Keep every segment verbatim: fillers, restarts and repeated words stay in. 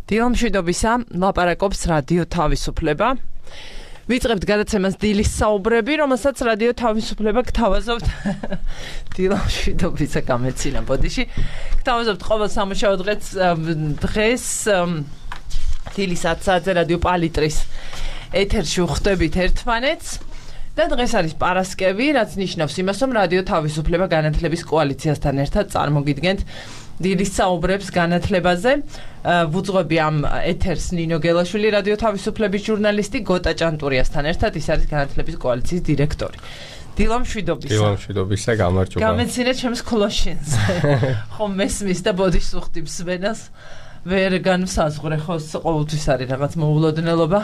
დილამშვიდობისა, ლაპარაკობს რადიო თავისუფლება. ვიწყებთ გადაცემას დილის საუბრები, რომელსაც რადიო თავისუფლება გთავაზობთ დილამშვიდობისა გამეცინა ბოდიში. გთავაზობთ ყოველ სამუშაო დღეს დღეს დილის ათი საათზე რადიო პალიტრის ეთერში ვხვდებით ერთმანეთს. და დღეს არის პარასკევი, რაც ნიშნავს იმას, რომ რადიო თავისუფლება განათლების კოალიციასთან ერთად წარმოგიდგენთ დილის საუბრებს განათლებაზე. ვუძღვები ამ ეთერს ნინო გელაშვილი, რადიო თავისუფლების ჟურნალისტი, გოტა ჭანტურიასთან ერთად, ის არის განათლების კოალიციის დირექტორი. დილამშვიდობისა. დილამშვიდობისა, გამარჯობა. გამეცინეთ ჩემს ქლოშინს. ხომ მესმის და ბოდიშს უხდი მსვენას. ვერ განსაზღვრე, ხო, ყოველთვის არის რაღაც მოულოდნელობა.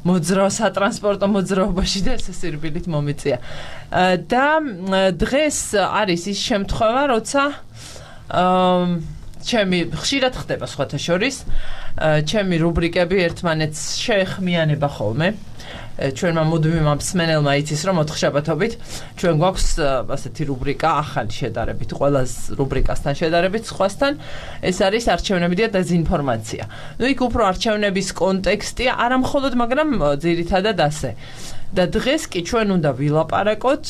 მოძრაო სატრანსპორტო მოძრაობაში და ესე სირბილით მომიწია. და დღეს არის ის შემთხვევა, როცა ჩემი ხშირად ხდება სხვათა შორის, ჩემი რუბრიკები ერთმანეთს შეეხმიანება ხოლმე. ჩვენმა მუდმივმა მსმენელმა იცის, რომ ოთხშაბათობით ჩვენ გვაქვს ასეთი რუბრიკა ახალი შედარებით, ყველას რუბრიკასთან შედარებით სხვასთან, ეს არის არჩევნები და დეზინფორმაცია. ნუ იქ უფრო არჩევნების კონტექსტია, არა მხოლოდ, მაგრამ ძირითადად ასე. და დღეს კი ჩვენ უნდა ვილაპარაკოთ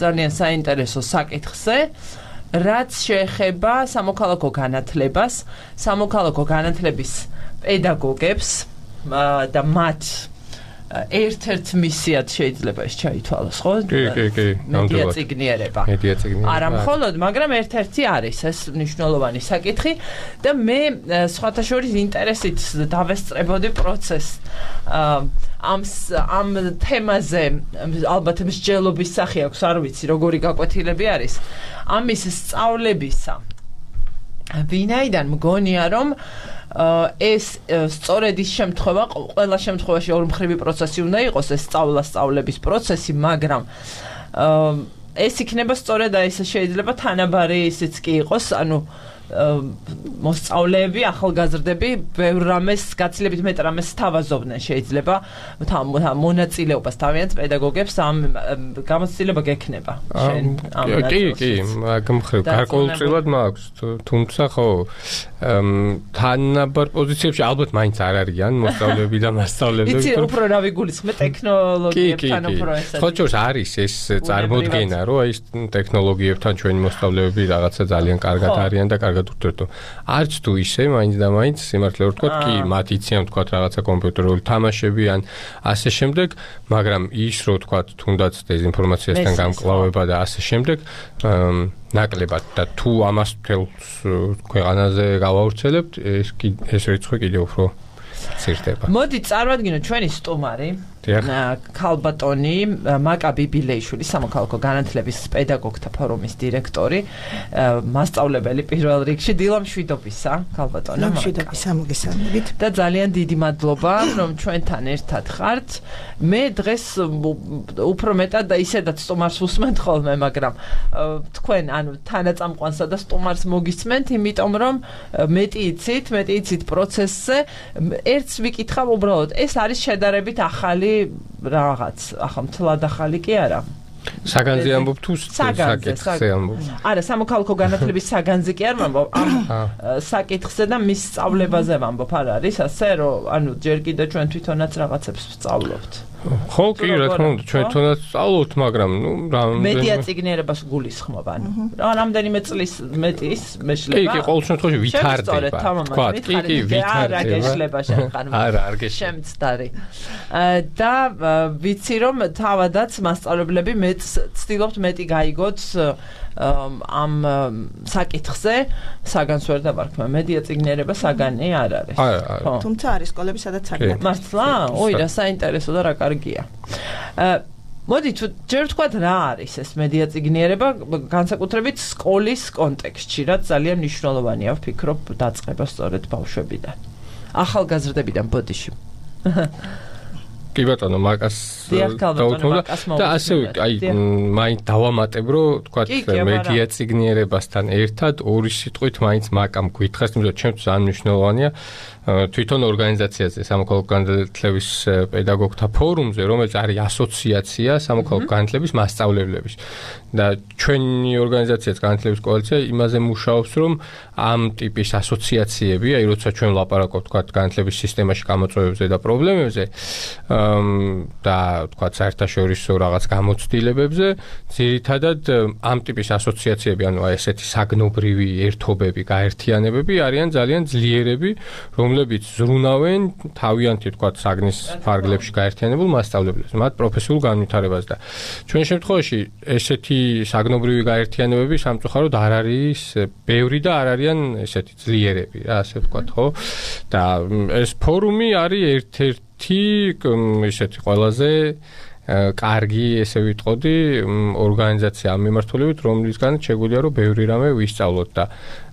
ძალიან საინტერესო საკითხზე, რაც შეეხება სამოქალაქო განათლებას, სამოქალაქო განათლების პედაგოგებს და მათ ერთ-ერთ მისიად შეიძლება ეს ჩაითვალოს, ხო? კი, კი, კი. მედია წიგნიერება. მედია წიგნიერება. არა მხოლოდ, მაგრამ ერთ-ერთი არის ეს მნიშვნელოვანი საკითხი და მე სხვათა შორის ინტერესით დავესწრებოდი პროცესს ამ ამ თემაზე, ალბათ მსჯელობის სახე აქვს, არ ვიცი, როგორი გაკვეთილები არის. ამის სწავლებისა. ვინაიდან მგონია, რომ ეს სწორედ ის შემთხვევა, ყველა შემთხვევაში ორმხრივი პროცესი უნდა იყოს, ეს სწავლა სწავლების პროცესი, მაგრამ ეს იქნება სწორედ ეს შეიძლება თანაბარი ისიც კი იყოს, ანუ მოსწავლეები, ახალგაზრდები ბევრ რამეს, გაცილებით მეტ რამეს თავაზობდნენ შეიძლება მონაწილეობას თავიანთ პედაგოგებს ამ გამოცდილება გექნება. კი, კი, გამხრივ, გარკვეულწილად მაქვს, თუმცა ხო თანაბარ პოზიციებში ალბათ მაინც არ არიან მოსწავლეები და მასწავლებლები. იცი, უფრო რა ვიგულისხმე ტექნოლოგიებთან უფრო ესეთი. ხო, ჯერ არის ეს წარმოდგენა, რომ აი ტექნოლოგიებთან ჩვენი მოსწავლეები რაღაცა ძალიან კარგად არიან და კარგად ურთიერთობ. არც თუ ისე, მაინც და მაინც სიმართლე რომ ვთქვათ, კი, მათ იციან ვთქვათ რაღაცა კომპიუტერული თამაშები ან ასე შემდეგ, მაგრამ ის რომ ვთქვათ, თუნდაც დეზინფორმაციასთან გამკლავება და ასე შემდეგ, ნაკლებად და თუ ამას თელს ქვეყანაზე გავავრცელებთ, ეს ეს რიცხვი კიდევ უფრო ცირდება. მოდი წარმოვადგინოთ ჩვენი სტუმარი, ქალბატონი მაკა ბიბილეიშვილი, სამოქალაქო განათლების პედაგოგთა ფორუმის დირექტორი, მასწავლებელი პირველ რიგში. დილამშვიდობისა, ქალბატონო. დილამშვიდობისა, მოგესალმებით. და ძალიან დიდი მადლობა, რომ ჩვენთან ერთად ხართ. მე დღეს უფრო მეტად და ისედაც სტუმარს უსმენთ ხოლმე, მაგრამ თქვენ ანუ თანაწამყვანსა და სტუმარს მოგისმენთ, იმიტომ რომ მეტი იცით, მეტი იცით პროცესზე. ერთს ვიკითხავ უბრალოდ, ეს არის შედარებით ახალი რაღაც, ახლა მთლად ახალი კი არა. საგანზე ამბობ თუ საკითხზე ამბობ? არა, სამოქალაქო განათლების საგანზე კი არ ვამბობ, ამ საკითხზე და მის სწავლებაზე ვამბობ, არ არის ასე, რომ ანუ ჯერ კიდევ ჩვენ თვითონაც რაღაცებს ვსწავლობთ. ხო, კი, რა თქმა უნდა, ჩვენ თვითონაც ვსწავლობთ, მაგრამ ნუ მედია წიგნიერებას გულისხმობ, ანუ რამდენიმე წლის მეტის მეშლება. კი, კი, ყოველ შემთხვევაში ვითარდება. თქვათ, კი, კი, ვითარდება. არა, გეშლება შეხარ. არა, არ გეშლება. შემცდარი. და ვიცი რომ თავადაც მასწავლებლები მეც ცდილობთ მეტი გაიგოთ ამ საკითხზე, საგანს ვერ დავარქმევ, მედია წიგნიერება საგანი არ არის. არა, თუმცა არის სკოლები, სადაც საგანი. მართლა? ოი, რა საინტერესო და რა კარგია. მოდი თუ ჯერ ვთქვათ რა არის ეს მედია წიგნიერება, განსაკუთრებით სკოლის კონტექსტში, რაც ძალიან მნიშვნელოვანია, ვფიქრობ, დაწყება სწორედ ბავშვებიდან. ახალგაზრდებიდან ბოდიში. კი ბატონო, მაკას დაუთმობდა და ასევე აი მაინც დავამატებ, რომ თქვათ მედია წიგნიერებასთან ერთად ორი სიტყვით მაინც მაკამ გითხრას, თუმცა ჩემთვის ძალიან მნიშვნელოვანია, თვითონ ორგანიზაციაზე სამოქალაქო განათლების პედაგოგთა ფორუმზე, რომელიც არის ასოციაცია სამოქალაქო განათლების მასწავლებლების და ჩვენი ორგანიზაციაც განათლების კოალიცია იმაზე მუშაობს, რომ ამ ტიპის ასოციაციები, აი როცა ჩვენ ვლაპარაკობთ თქვა განათლების სისტემაში გამოწვევებზე და პრობლემებზე და თქვა საერთაშორისო რაღაც გამოცდილებებზე, ძირითადად ამ ტიპის ასოციაციები, ანუ აი ესეთი საგნობრივი ერთობები, გაერთიანებები არიან ძალიან ძლიერები, რომლებიც ზრუნავენ თავიანთი თქვა საგნის ფარგლებში გაერთიანებულ მასწავლებლებს, მათ პროფესიულ განვითარებას და ჩვენ შემთხვევაში ესეთი საგნობრივი გაერთიანებები სამწუხაროდ არ არის ბევრი და არ არიან ესეთი ძლიერები, რა ასე ვთქვათ, ხო? და ეს ფორუმი არის ერთ-ერთი ესეთი ყველაზე კარგი, ესე ვიტყოდი, ორგანიზაცია ამ მიმართულებით, რომლისგანაც შეგვიძლია რომ ბევრი რამე ვისწავლოთ და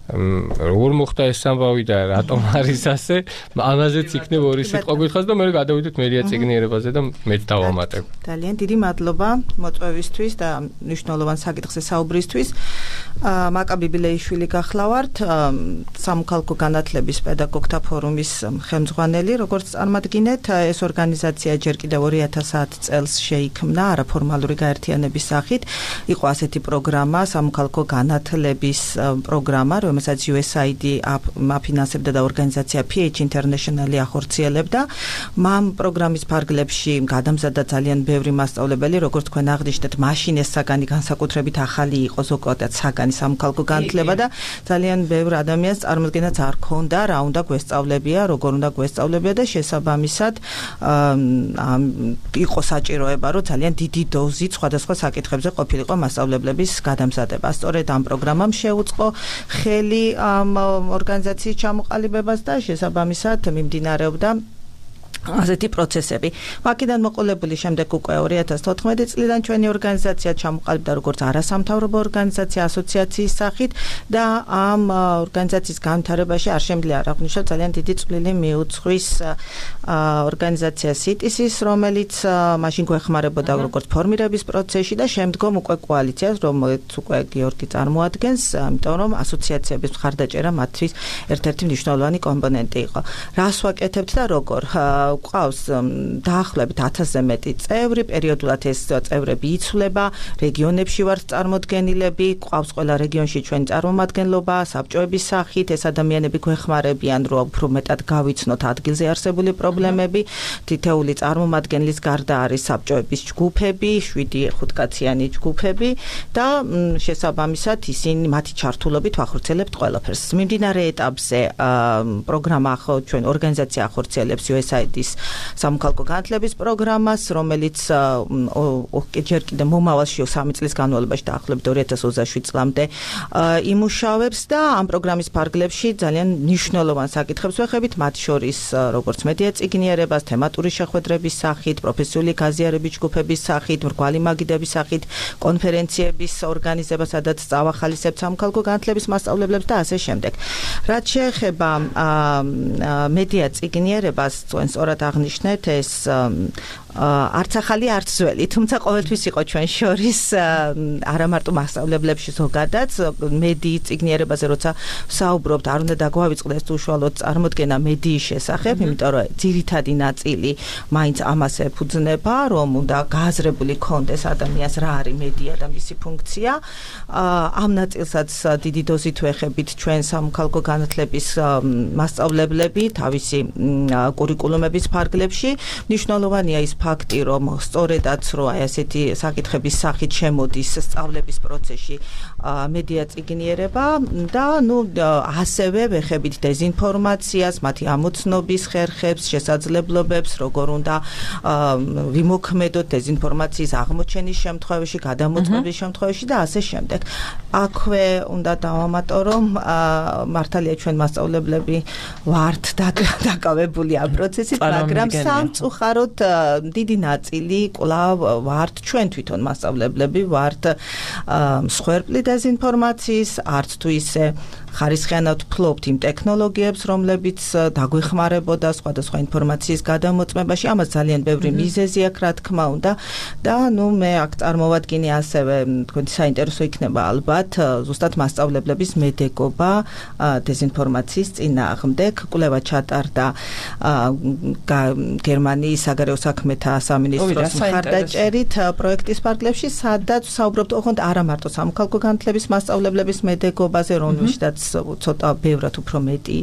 როგორ მოხდა ეს ამბავი და რატომ არის ასე, ამაზეც იქნება ორი სიტყვა გითხრას და მე გადავიდეთ მედია წიგნიერებაზე და მეც დავამატებ. ძალიან დიდი მადლობა მოწვევისთვის და მნიშვნელოვან საკითხზე საუბრისთვის. მაკაბი ბილეიშვილი გახლავართ, სამოქალაქო განათლების პედაგოგთა ფორუმის ხელმძღვანელი, როგორც წარმატგინეთ, ეს ორგანიზაცია ჯერ კიდევ ორი ათას ათ წელს შეიქმნა არაფორმალური გაერთიანების სახით. იყო ასეთი პროგრამა, სამოქალაქო განათლების პროგრამა, რომელსაც იუ ეს აი დი აფინანსებდა და ორგანიზაცია პი ეიჩ International-ი ახორციელებდა. მამ პროგრამის ფარგლებში გადამზადდა ძალიან ბევრი მასწავლებელი, როგორც თქვენ აღნიშნეთ, მაშინ ეს საგანი განსაკუთრებით ახალი იყო, ზოგადად საგანი სამოქალაქო განათლება და ძალიან ბევრ ადამიანს წარმოდგენაც არ ქონდა, რა უნდა გვესწავლებია, როგორ უნდა გვესწავლებია და შესაბამისად იყო საჭიროება, რომ ძალიან დიდი დოზით სხვადასხვა საკითხებზე ყოფილიყო მასწავლებლების გადამზადება. სწორედ ამ პროგრამამ შეუწყო ხელი ამ ორგანიზაციის ჩამოყალიბებას და შესაბამისად მიმდინარეობდა ასეთი პროცესები. მაკედან მოყოლებული შემდეგ უკვე ორი ათას თოთხმეტი წლიდან ჩვენი ორგანიზაცია ჩამოყალიბდა როგორც არასამთავრობო ორგანიზაცია ასოციაციის სახით და ამ ორგანიზაციის განვითარებაში არ შემიძლია არ აღვნიშნოთ ძალიან დიდი წვლილი მიუძღვის ორგანიზაცია სი ტი სი-ს, რომელიც მაშინ გვეხმარებოდა როგორც ფორმირების პროცესში და შემდგომ უკვე კოალიციას, რომელიც უკვე გიორგი წარმოადგენს, იმიტომ რომ ასოციაციების მხარდაჭერა მათთვის ერთ-ერთი მნიშვნელოვანი კომპონენტი იყო. რას ვაკეთებთ და როგორ? ყავს დაახლოებით ათასზე მეტი წევრი, პერიოდულად ეს წევრები იცვლება, რეგიონებში ვართ წარმოდგენილები, ყავს ყველა რეგიონში ჩვენი წარმომადგენლობა, საბჭოების სახით, ეს ადამიანები გვეხმარებიან, რომ უფრო მეტად გავიცნოთ ადგილზე არსებული პრობლემები, თითეული წარმომადგენლის გარდა არის საბჭოების ჯგუფები, შვიდი ხუთკაციანი ჯგუფები და შესაბამისად ისინი მათი ჩართულობით ვახორციელებთ ყველაფერს. მიმდინარე ეტაპზე პროგრამა ჩვენ ორგანიზაცია ახორციელებს იუ ეს აი დი სამოქალაქო განათლების პროგრამას, რომელიც ჯერ კიდევ მომავალში სამი წლის განმავლობაში დაახლოებით ორი ათას ოცდაშვიდ წლამდე იმუშავებს და ამ პროგრამის ფარგლებში ძალიან მნიშვნელოვან საკითხებს ვეხებით, მათ შორის როგორც მედია წიგნიერებას, თემატური შეხვედრების სახით, პროფესიული გაზიარების ჯგუფების სახით, მრგვალი მაგიდების სახით, კონფერენციების ორგანიზება, სადაც წავახალისებთ სამოქალაქო განათლების მასწავლებლებს და ასე შემდეგ. რაც შეეხება მედია წიგნიერებას, თქვენ სწორად აღნიშნეთ, ეს არც ახალი, არც ძველი, თუმცა ყოველთვის იყო ჩვენ შორის არა მარტო მასწავლებლებში ზოგადად, მედიის წიგნიერებაზე როცა საუბრობთ, არ უნდა დაგვავიწყდეს უშუალოდ წარმოდგენა მედიის შესახებ, იმიტომ რომ ძირითადი ნაწილი მაინც ამას ეფუძნება, რომ უნდა გააზრებული ქონდეს ადამიანს რა არის მედია და მისი ფუნქცია. ამ ნაწილსაც დიდი დოზით ვეხებით ჩვენ სამოქალაქო განათლების მასწავლებლები თავისი კურიკულუმების ფარგლებში. მნიშვნელოვანია ის ფაქტი, რომ სწორედაც რო აი ასეთი საკითხების სახით შემოდის სწავლების პროცესში მედია წიგნიერება და ნუ ასევე ვეხებით დეზინფორმაციას, მათი ამოცნობის ხერხებს, შესაძლებლობებს, როგორ უნდა ვიმოქმედოთ დეზინფორმაციის აღმოჩენის შემთხვევაში, გადამოწმების შემთხვევაში და ასე შემდეგ. აქვე უნდა დავამატო, რომ მართალია ჩვენ მასწავლებლები ვართ დაკავებული ამ პროცესით, მაგრამ სამწუხაროდ დიდი ნაწილი კვლავ ვართ ჩვენ თვითონ მასწავლებლები ვართ მსხვერპლი დეზინფორმაციის, არც თუ ისე ხარისხიანად ფლობთ იმ ტექნოლოგიებს, რომლებიც დაგვეხმარებოდა სხვადასხვა ინფორმაციის გადამოწმებაში. ამას ძალიან ბევრი მიზეზი აქვს, რა თქმა უნდა. და ნუ მე აქ წარმოვადგინე ასევე თქვენი საინტერესო იქნება ალბათ ზუსტად მასწავლებლების მედეგობა დეზინფორმაციის წინააღმდეგ. კვლევა ჩატარდა გერმანიის საგარეო საქმეთა სამინისტროს მხარდაჭერით პროექტის ფარგლებში, სადაც საუბრობთ ოღონდ არა მარტო სამოქალაქო განათლების მასწავლებლების მედეგობაზე, რომელშიც ცოტა ბევრად უფრო მეტი,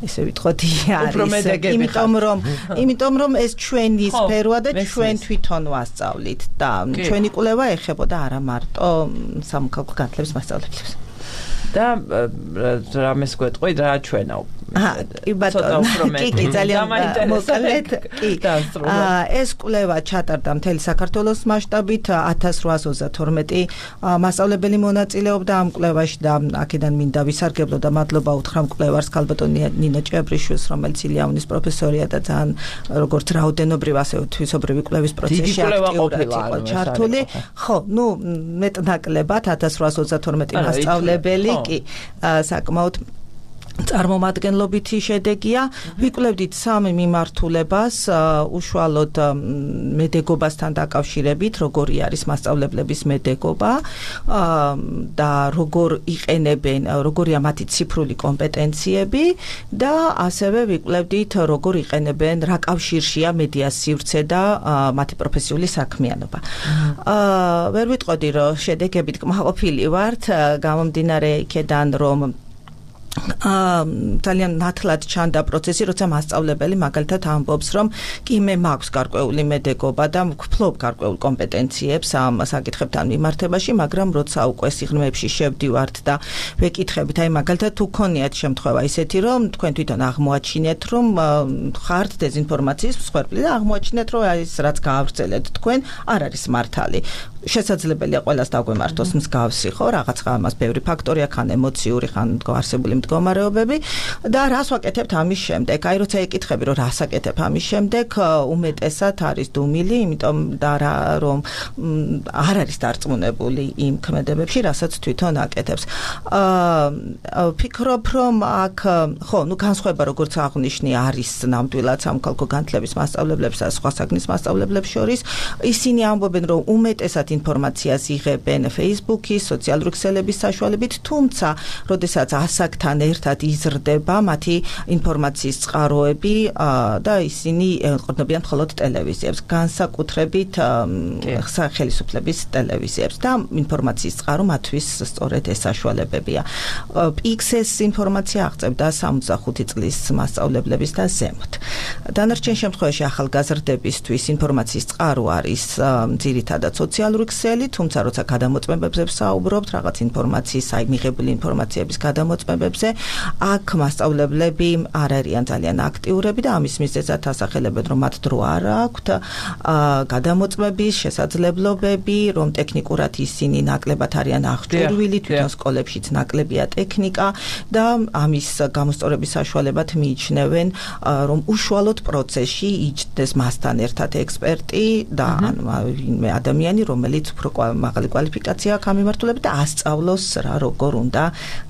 ესე ვიტყოდი, არის. იმიტომ რომ იმიტომ რომ ეს ჩვენი სფეროა და ჩვენ თვითონ ვასწავლით და ჩვენი კვლევა ეხებოდა არა მარტო სამოქალაქო განათლების მასწავლებლებს. და რამეს გვეტყვი რა ჩვენაო კი ბატონო, კი ძალიან მოკლედ, კი. ეს კვლევა ჩატარდა მთელი საქართველოს მასშტაბით, ათას რვაას ოცდათორმეტი მასწავლებელი მონაწილეობდა ამ კვლევაში და აქედან მინდა ვისარგებლო და მადლობა უთხრა მკვლევარს ქალბატონ ნინო ჭიაბრიშვილს, რომელიც ილიანის პროფესორია და ძალიან როგორც რაოდენობრივ ასევე თვისობრივი კვლევის პროცესში აქტიურად იყო ჩართული. ხო, ნუ მეტნაკლებად ათას რვაას ოცდათორმეტი მასწავლებელი, კი, საკმაოდ წარმომადგენლობითი შედეგია. ვიკვლევდით სამი მიმართულებას, უშუალოდ მედეგობასთან დაკავშირებით, როგორი არის მასწავლებლების მედეგობა და როგორ იყენებენ, როგორია მათი ციფრული კომპეტენციები და ასევე ვიკვლევდით, როგორ იყენებენ, რა კავშირშია მედიას სივრცე და მათი პროფესიული საქმიანობა. ვერ ვიტყოდი, რომ შედეგებით კმაყოფილი ვართ, გამომდინარე იქედან, რომ ძალიან ნათლად ჩანდა პროცესი, როცა მასწავლებელი მაგალითად ამბობს, რომ კი მე მაქვს გარკვეული მედეგობა და ვფლობ გარკვეულ კომპეტენციებს ამ საკითხებთან მიმართებაში, მაგრამ როცა უკვე სიღრმეებში შევდივართ და ვეკითხებით, აი მაგალითად თუ გქონიათ შემთხვევა ისეთი, რომ თქვენ თვითონ აღმოაჩინეთ, რომ ხართ დეზინფორმაციის მსხვერპლი და აღმოაჩინეთ, რომ აი ეს რაც გაავრცელეთ თქვენ არ არის მართალი. შესაძლებელია ყველას დაგვემართოს მსგავსი, ხო, რაღაცა ამას ბევრი ფაქტორი აქვს, ხან ემოციური, ხან არსებული მდგომარეობები და რას ვაკეთებთ ამის შემდეგ? აი როცა ეკითხები, რომ რას აკეთებ ამის შემდეგ, უმეტესად არის დუმილი, იმიტომ და რომ არ არის დარწმუნებული იმ ქმედებებში, რასაც თვითონ აკეთებს. ვფიქრობ, რომ აქ ხო, ნუ განსხვავება როგორც აღნიშნე არის ნამდვილად სამოქალაქო განათლების მასწავლებლებს და სხვა საგნის მასწავლებლებს შორის. ისინი ამბობენ, რომ უმეტესად ინფორმაციას იღებენ Facebook-ის, სოციალური ქსელების საშუალებით, თუმცა, როდესაც ასაკთან ერთად იზრდება მათი ინფორმაციის წყაროები და ისინი ეყრდნობიან მხოლოდ ტელევიზიებს, განსაკუთრებით ხელისუფლების ტელევიზიებს და ინფორმაციის წყარო მათთვის სწორედ ეს საშუალებებია. პიქსეს ინფორმაცია აღწევდა სამოცდახუთი წლის მასწავლებლების და ზემოთ. დანარჩენ შემთხვევაში ახალგაზრდებისთვის ინფორმაციის წყარო არის ძირითადად სოციალური ქსელი, თუმცა როცა გადამოწმებებზე ვსაუბრობთ, რაღაც ინფორმაციის, აი მიღებული ინფორმაციების გადამოწმებებზე, აქ მასწავლებლები არ არიან ძალიან აქტიურები და ამის მიზეზად ასახელებენ, რომ მათ დრო არ აქვთ გადამოწმების შესაძლებლობები, რომ ტექნიკურად ისინი ნაკლებად არიან აღჭურვილი, თვითონ სკოლებშიც ნაკლებია ტექნიკა და ამის გამოსწორების საშუალებად მიიჩნევენ, რომ უშუალოდ პროცესში იჯდეს მასთან ერთად ექსპერტი და ვინმე ადამიანი, რომელიც უფრო მაღალი კვალიფიკაცია აქვს ამ მიმართულებით და ასწავლოს რა როგორ უნდა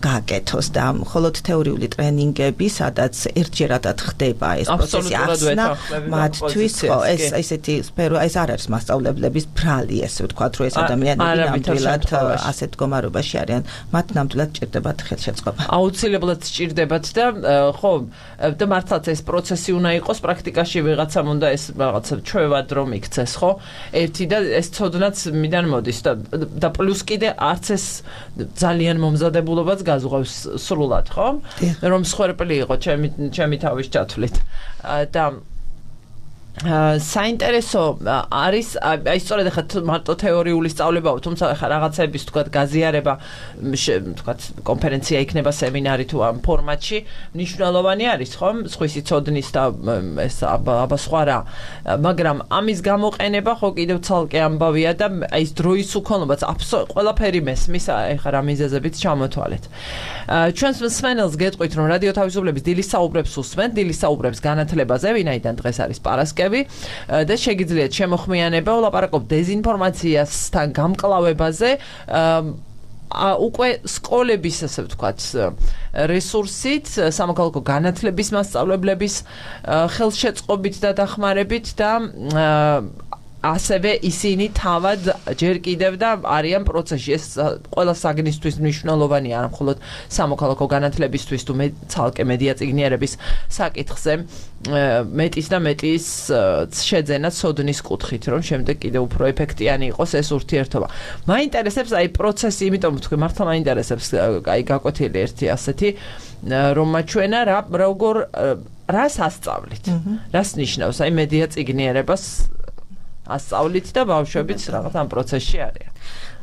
გააკეთოს და მხოლოდ თეორიული ტრენინგები, სადაც ერთჯერადად ხდება ეს პროცესი ახსნა მათთვის, ხო, ეს ესეთი სფერო, ეს არ არის მასწავლებლების ბრალი, ესე ვთქვათ, რომ ეს ადამიანები ნამდვილად ასეთ მდგომარეობაში არიან, მათ ნამდვილად ჭირდებათ ხელშეწყობა. აუცილებლად ჭირდებათ და ხო, და მართლაც ეს პროცესი უნდა იყოს, პრაქტიკაში ვიღაცამ უნდა ეს რაღაცა ჩვევად რომ იქცეს, ხო? ერთი და ეს ცოდნაც მიდან მოდის და და პლუს კიდე არც ეს ძალიან მომზადებულობაც გაზღვევს სრულად, ხო? რომ მსხვერპლი იყო ჩემი ჩემი თავის ჩათვლით. და საინტერესო არის, აი სწორედ ახლა მარტო თეორიული სწავლებაა, თუმცა ახლა რაღაცების თქვა გაზიარება, თქვა კონფერენცია იქნება, სემინარი თუ ამ ფორმატში, მნიშვნელოვანი არის, ხო? სხვისი ცოდნის და ეს აბა სხვა რა. მაგრამ ამის გამოყენება ხო კიდევ ცალკე ამბავია და აი ეს დროის უქონლობაც ყველაფერი მესმის, ახლა რა მიზეზებით ჩამოთვალეთ. ჩვენს მსმენელს გეტყვით, რომ რადიო თავისუფლების დილის საუბრებს უსმენთ, დილის საუბრებს განათლებაზე, ვინაიდან დღეს არის პარასკევი. პროექტები და შეგიძლიათ შემოხმიანება ვლაპარაკობ დეზინფორმაციასთან გამკლავებაზე უკვე სკოლების ასე ვთქვათ რესურსით, სამოქალაქო განათლების მასწავლებლების ხელშეწყობით და დახმარებით და ასევე ისინი თავად ჯერ კიდევ და არიან პროცესში. ეს ყველა საგნისთვის მნიშვნელოვანია, არა მხოლოდ სამოქალაქო განათლებისთვის თუ ცალკე მედია წიგნიერების საკითხზე მეტის და მეტის შეძენა ცოდნის კუთხით, რომ შემდეგ კიდევ უფრო ეფექტიანი იყოს ეს ურთიერთობა. მაინტერესებს აი პროცესი, იმიტომ ვთქვი, მართლა მაინტერესებს აი გაკვეთილი ერთი ასეთი, რომ ჩვენა რა როგორ რას ასწავლით. რას ნიშნავს აი მედია წიგნიერებას ასწავლით და ბავშვებიც რაღაც ამ პროცესში არიან.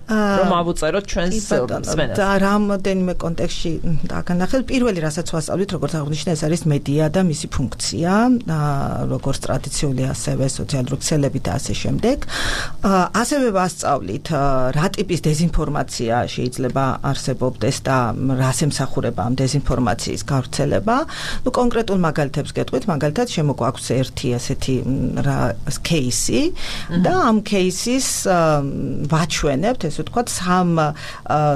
რომ ავუწეროთ ჩვენს მსმენელს. და რამდენიმე კონტექსტში დაგანახეთ. პირველი რასაც ვასწავლით, როგორც აღნიშნე, ეს არის მედია და მისი ფუნქცია, როგორც ტრადიციული, ასევე სოციალური ქსელებით და ასე შემდეგ. ასევე ვასწავლით, რა ტიპის დეზინფორმაცია შეიძლება არსებობდეს და რას ემსახურება ამ დეზინფორმაციის გავრცელება. ნუ კონკრეტულ მაგალითებს გეტყვით, მაგალითად შემოგვაქვს ერთი ასეთი кейსი და ამ кейსის ვაჩვენებთ ეს ვთქვათ სამ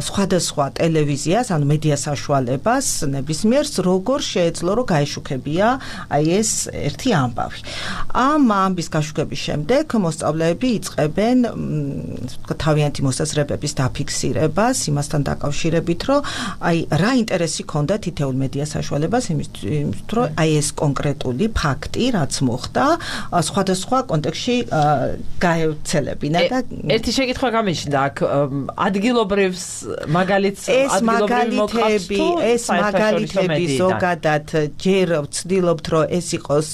სხვადასხვა ტელევიზიას, ანუ მედია საშუალებას ნებისმიერს როგორ შეეძლო რომ გაეშუქებია აი ეს ერთი ამბავი. ამ ამბის გაშუქების შემდეგ მოსწავლეები იწყებენ ვთქვათ თავიანთი მოსაზრებების დაფიქსირებას იმასთან დაკავშირებით, რომ აი რა ინტერესი ქონდა თითოეულ მედია საშუალებას იმისთვის, რომ აი ეს კონკრეტული ფაქტი, რაც მოხდა, სხვადასხვა კონტექსტში გაევრცელებინა და ერთი შეკითხვა გამიშნდა აქ ადგილობრივს მაგალითს ადგილობრივი მოყავთ ეს მაგალითები ზოგადად ჯერ ვცდილობთ რომ ეს იყოს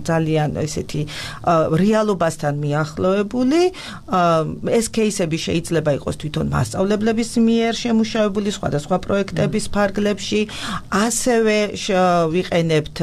ძალიან ესეთი რეალობასთან მიახლოებული. ეს кейსები შეიძლება იყოს თვითონ მასწავლებლების მიერ შემუშავებული სხვადასხვა პროექტების ფარგლებში. ასევე ვიყენებთ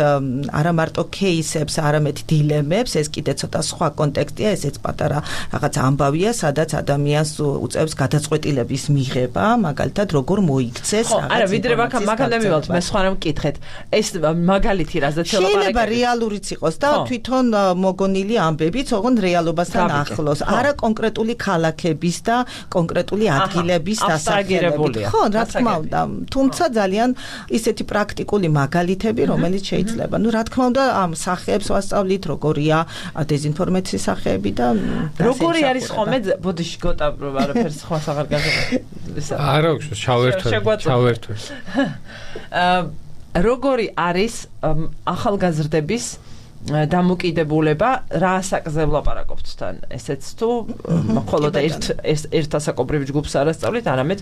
არა მარტო кейსებს, არამედ დილემებს, ეს კიდე ცოტა სხვა კონტექსტია, ესეც პატარა რაღაც ამბავია, სადაც ადამიანს უწევს გადაწყვეტილების მიღება, მაგალითად როგორ მოიქცეს რაღაც. არა, ვიდრე მაგალითად მივალთ, მე სხვა რამ მკითხეთ. ეს მაგალითი რაზეც ელაპარაკეთ. შეიძლება რეალურიც იყოს და თვითონ მოგონილი ამბებიც ოღონდ რეალობასთან ახლოს. არა კონკრეტული ქალაქების და კონკრეტული ადგილების დასახელებით. ხო, რა თქმა უნდა, თუმცა ძალიან ისეთი პრაქტიკული მაგალითები, რომელიც შეიძლება. ნუ რა თქმა უნდა, ამ სახეებს ვასწავლით, როგორია დეზინფორმაციის სახეები და როგორი არის ხოლმე ბოდიში გოტა არაფერს ხმას აღარ გაგება. არა, ჩავერთვე, ჩავერთვე. როგორი არის ახალგაზრდების დამოკიდებულება რა ასაკზე ვლაპარაკობთ თან ესეც თუ მხოლოდ ერთ ერთ ასაკობრივ ჯგუფს არასწავლით, არამედ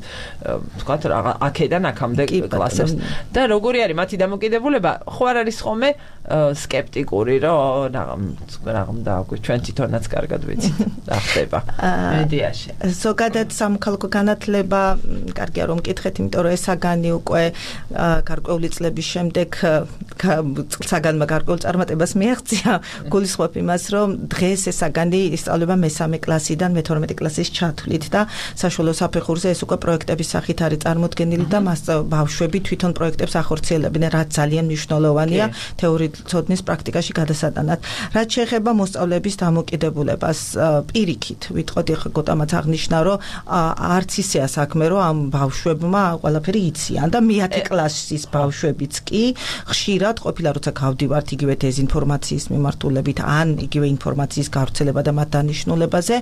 ვთქვათ აქედან აქამდე კლასებს და როგორი არის მათი დამოკიდებულება, ხო არ არის ხოლმე სკეპტიკური, რომ რაღაც და ჩვენ თვითონაც კარგად ვიცით რა ხდება მედიაში. ზოგადად სამოქალაქო განათლება კარგია რომ მკითხეთ, იმიტომ რომ ეს საგანი უკვე გარკვეული წლების შემდეგ საგანმა გარკვეულ წარმატებას მიაღწია. გულისხმობ იმას, რომ დღეს ეს საგანი ისწავლება მესამე კლასიდან მეთორმეტე კლასის ჩათვლით და საშუალო საფეხურზე ეს უკვე პროექტების სახით არის წარმოდგენილი და მას ბავშვები თვითონ პროექტებს ახორციელებენ, რაც ძალიან მნიშვნელოვანია თეორიის ცოდნის პრაქტიკაში გადასატანად. რაც შეეხება მოსწავლეების დამოკიდებულებას, პირიქით ვიტყოდი, ხა გოტამაც აღნიშნა, რომ არც ისეა საქმე, რომ ამ ბავშვებმა ყველაფერი იციან და მეათე კლასის ბავშვებიც კი ხშირად ყოფილა როცა გავდივართ იგივე დეზინფორმაციის მიმართულებით ან იგივე ინფორმაციის გავრცელება და მათ დანიშნულებაზე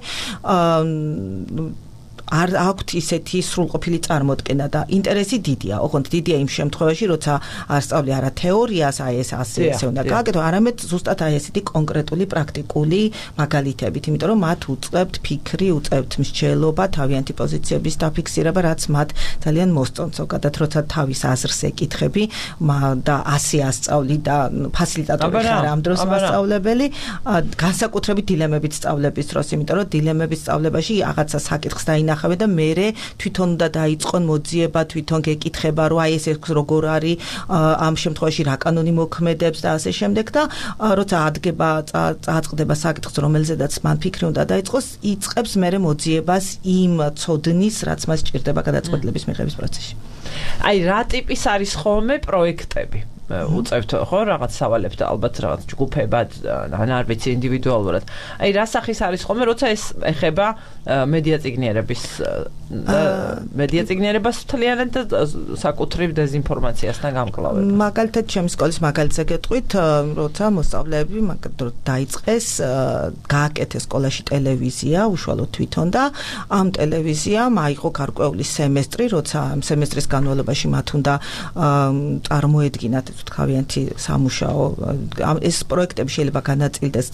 არ აქვთ ისეთი სრულყოფილი წარმოდგენა და ინტერესი დიდია. ოღონდ დიდია იმ შემთხვევაში, როცა არ სწავლი არა თეორიას, აი ეს ასე ესე უნდა გააკეთო, არამედ ზუსტად აი ესეთი კონკრეტული პრაქტიკული მაგალითებით, იმიტომ რომ მათ უწყებთ ფიქრი, უწყებთ მსჯელობა, თავიანთი პოზიციების დაფიქსირება, რაც მათ ძალიან მოსწონს. ზოგადად, როცა თავის აზრს ეკითხები და ასე ასწავლი და ფასილიტატორი ხარ ამ დროს მასწავლებელი, განსაკუთრებით დილემებით სწავლების დროს, იმიტომ რომ დილემების სწავლებაში რაღაცა საკითხს დაინახავ და მერე თვითონ უნდა დაიწყონ მოძიება, თვითონ გეკითხება, რომ აი ეს როგორ არის ამ შემთხვევაში რა კანონი მოქმედებს და ასე შემდეგ და როცა ადგება წააწყდება საკითხს, რომელზედაც მან ფიქრი უნდა დაიწყოს, იწყებს მერე მოძიებას იმ ცოდნის, რაც მას სჭირდება გადაწყვეტილების მიღების პროცესში. აი რა ტიპის არის ხოლმე პროექტები? უწევთ ხო რაღაც სავალებს და ალბათ რაღაც ჯგუფებად ან არ ვიცი ინდივიდუალურად. აი რა სახის არის ხოლმე როცა ეს ეხება მედია წიგნიერების მედია წიგნიერებას მთლიანად და საკუთრივ დეзинფორმაციასთან გამკლავება. მაგალითად ჩემი სკოლის მაგალითზე გეტყვით, როცა მოსწავლეები დაიწყეს გააკეთეს სკოლაში ტელევიზია უშუალოდ თვითონ და ამ ტელევიზიამ აიღო გარკვეული სემესტრი, როცა ამ სემესტრის განმავლობაში მათ უნდა წარმოედგინათ თავიანთი სამუშაო. ეს პროექტები შეიძლება განაწილდეს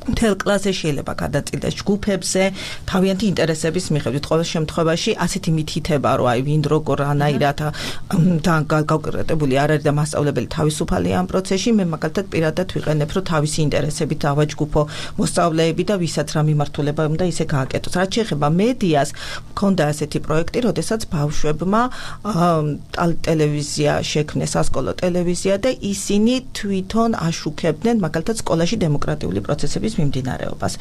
მთელ კლასზე შეიძლება გადაწილდეს ჯგუფებზე თავიანთი ინტერესების მიხედვით. ყოველ შემთხვევაში ასეთი მითითება, რომ აი ვინ როგორ რანაირად და გაკონკრეტებული არ არის და მასწავლებელი თავისუფალია ამ პროცესში, მე მაგალითად პირადად ვიყენებ, რომ თავისი ინტერესებით დავაჯგუფო მოსწავლეები და ვისაც რა მიმართულება უნდა ისე გააკეთოს. რაც შეეხება მედიას, მქონდა ასეთი პროექტი, როდესაც ბავშვებმა ტელევიზია შექმნეს, სასკოლო ტელევიზია და ისინი თვითონ აშუქებდნენ მაგალითად სკოლაში დემოკრატიული პროცესების მიმდინარეობას.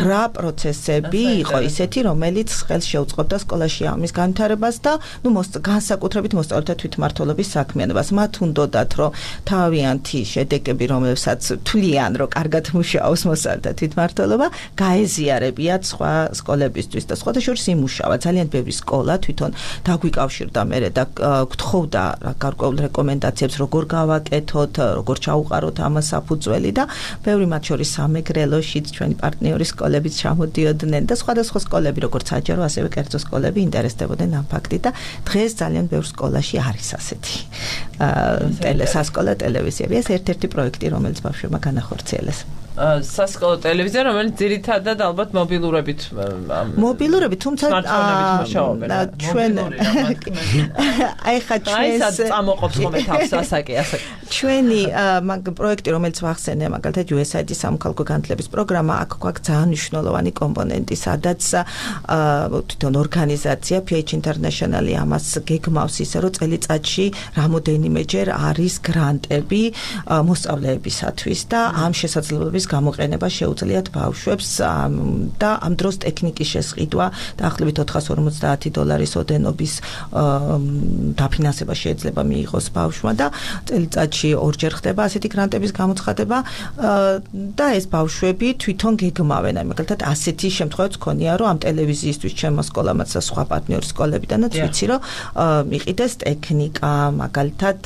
რა პროცესები იყო ისეთი, რომელიც ხელს შეუწყობდა სკოლაში ამის განვითარებას და ნუ განსაკუთრებით მოსწავლეთა თვითმმართველობის საქმიანობას. მათ უნდოდათ, რომ თავიანთი შედეგები, რომლებსაც თვლიან, რომ კარგად მუშაობს მოსწავლეთა თვითმმართველობა, გაეზიარებიათ სხვა სკოლებისთვის და სხვათა შორის იმუშავა. ძალიან ბევრი სკოლა თვითონ დაგვიკავშირდა მერე და გთხოვდა გარკვეულ რეკომენდაციებს, როგორ გავაკეთოთ, როგორ ჩაუყაროთ ამას საფუძველი და ბევრი მათ შორის სამეგრელოშიც ჩვენი პარტნიორი სკოლებიც ჩამოდიოდნენ და სხვადასხვა სკოლები, როგორც საჯარო, ასევე კერძო სკოლები ინტერესდებოდნენ ამ ფაქტით და დღეს ძალიან ბევრ სკოლაში არის ასეთი ტელესასკოლო ტელევიზიები. ეს ერთ-ერთი პროექტი, რომელიც ბავშვებმა განახორციელეს. სასკოლო ტელევიზია, რომელიც ძირითადად ალბათ მობილურებით მობილურებით, თუმცა ჩვენ აი ხა ჩვენს აი წამოყოფს ხოლმე თავს ასაკი ასაკი ჩვენი მაგ პროექტი, რომელიც ვახსენე, მაგალითად იუ ეს აი დი სამოქალაქო განათლების პროგრამა, აქ გვაქვს ძალიან მნიშვნელოვანი კომპონენტი, სადაც თვითონ ორგანიზაცია პი ეიჩ International-ი ამას გეგმავს ისე, რომ წელიწადში რამოდენიმეჯერ არის გრანტები მოსწავლეებისათვის და ამ შესაძლებლობის გამოყენება შეუძლიათ ბავშვებს და ამ დროს ტექნიკის შესყიდვა დაახლოებით ოთხას ორმოცდაათი დოლარის ოდენობის დაფინანსება შეიძლება მიიღოს ბავშვმა და წელიწადში ორჯერ ხდება ასეთი გრანტების გამოცხადება და ეს ბავშვები თვითონ გეგმავენ. მაგალითად ასეთი შემთხვევაც ქონია, რომ ამ ტელევიზიისთვის ჩემო სკოლამაც და სხვა პარტნიორი სკოლებიდანაც ვიცი, რომ იყიდეს ტექნიკა, მაგალითად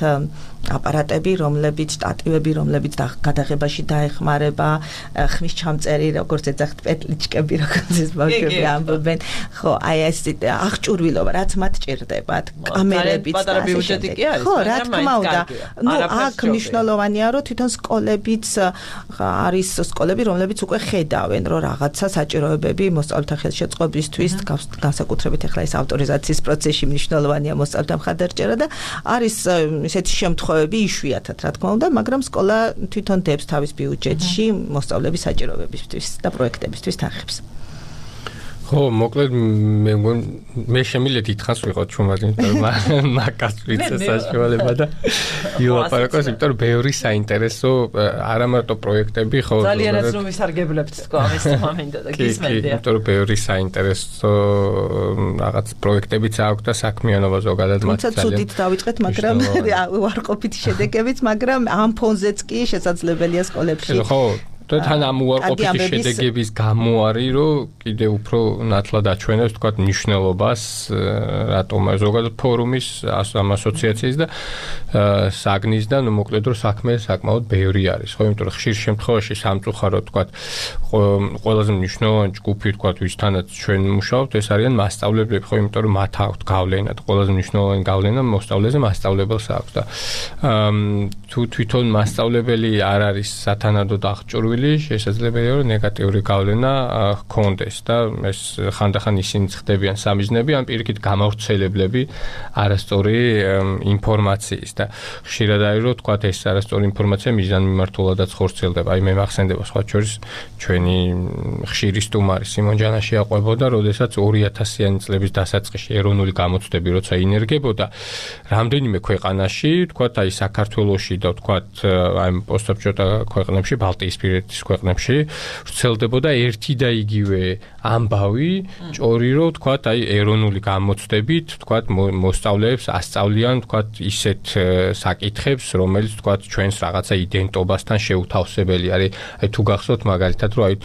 აპარატები, რომლებიც შტატივები, რომლებიც გადაღებაში დაეხმარება, ხმის ჩამწერი, როგორც ეძახთ, პეტლიჩკები, როგორც ეს ბავშვები ამბობენ. ხო, აი ეს აღჭურვილობა, რაც მათ ჭირდებათ, კამერებიც და ასე შემდეგ. ხო, რა თქმა უნდა. ნუ აქ მნიშვნელოვანია, რომ თვითონ სკოლებიც არის სკოლები, რომლებიც უკვე ხედავენ, რომ რაღაცა საჭიროებები მოსწავლეთა ხელშეწყობისთვის, განსაკუთრებით ახლა ეს ავტორიზაციის პროცესში მნიშვნელოვანია მოსწავლეთა მხარდაჭერა და არის ესეთი შემთხვევები იშვიათად, რა თქმა უნდა, მაგრამ სკოლა თვითონ დებს თავის ბიუჯეტში მოსწავლეების საჭიროებებისთვის და პროექტებისთვის თანხებს. ხო, მოკლედ მე მე შემიძლია დიდხანს ვიყოთ ჩუმად, იმიტომ რომ მაგას ვიცი საშუალება და იოლაპარაკოს, იმიტომ რომ ბევრი საინტერესო არა მარტო პროექტები, ხო, ძალიანაც რომ ვისარგებლებთ თქო ამის მომენტა და გისმენდია. იმიტომ რომ ბევრი საინტერესო რაღაც პროექტებიც აქვს და საქმიანობა ზოგადად მათ ძალიან. თუმცა ცუდით დავიწყეთ, მაგრამ უარყოფითი შედეგებიც, მაგრამ ამ ფონზეც კი შესაძლებელია სკოლებში. ხო, და თან ამ უარყოფითი შედეგების გამო არის, რომ კიდე უფრო ნათლად აჩვენებს, თქვათ, მნიშვნელობას რატომ ზოგადად ფორუმის, ამ ასოციაციის და საგნის და ნუ მოკლედ რომ საქმე საკმაოდ ბევრი არის, ხო, იმიტომ რომ ხშირ შემთხვევაში სამწუხაროდ, თქვათ, ყველაზე მნიშვნელოვანი ჯგუფი, თქვათ, ვისთანაც ჩვენ მუშაობთ, ეს არიან მასწავლებლები, ხო, იმიტომ რომ მათ აქვთ გავლენა და ყველაზე მნიშვნელოვანი გავლენა მოსწავლეზე მასწავლებელს აქვს და თუ თვითონ მასწავლებელი არ არის სათანადოდ აღჭურვილი, შესაძლებელია რომ ნეგატიური გავლენა ჰქონდეს და ეს ხანდახან ისინი ხდებიან სამიზნები, ან პირიქით გამავრცელებლები არასწორი ინფორმაციის და ხშირად არის რომ თქვათ ეს არასწორი ინფორმაცია მიზანმიმართულადაც ხორციელდება. აი მე მახსენდება სხვა შორის ჩვენი ხშირი სტუმარი სიმონ ჯანაში აყვებოდა, როდესაც ორი ათასიანი წლების დასაწყისში ეროვნული გამოცდები როცა ინერგებოდა, რამდენიმე ქვეყანაში, თქვათ აი საქართველოში და თქვათ აი პოსტსაბჭოთა ქვეყნებში, ბალტიისპირეთში რუსეთის ქვეყნებში ვრცელდებოდა ერთი და იგივე ამბავი, ჭორი რო ვთქვათ, აი ეროვნული გამოცდებით, ვთქვათ, მოსწავლეებს ასწავლიან, ვთქვათ, ისეთ საკითხებს, რომელიც ვთქვათ, ჩვენს რაღაცა იდენტობასთან შეუთავსებელი არის. აი თუ გახსოვთ მაგალითად, რომ აი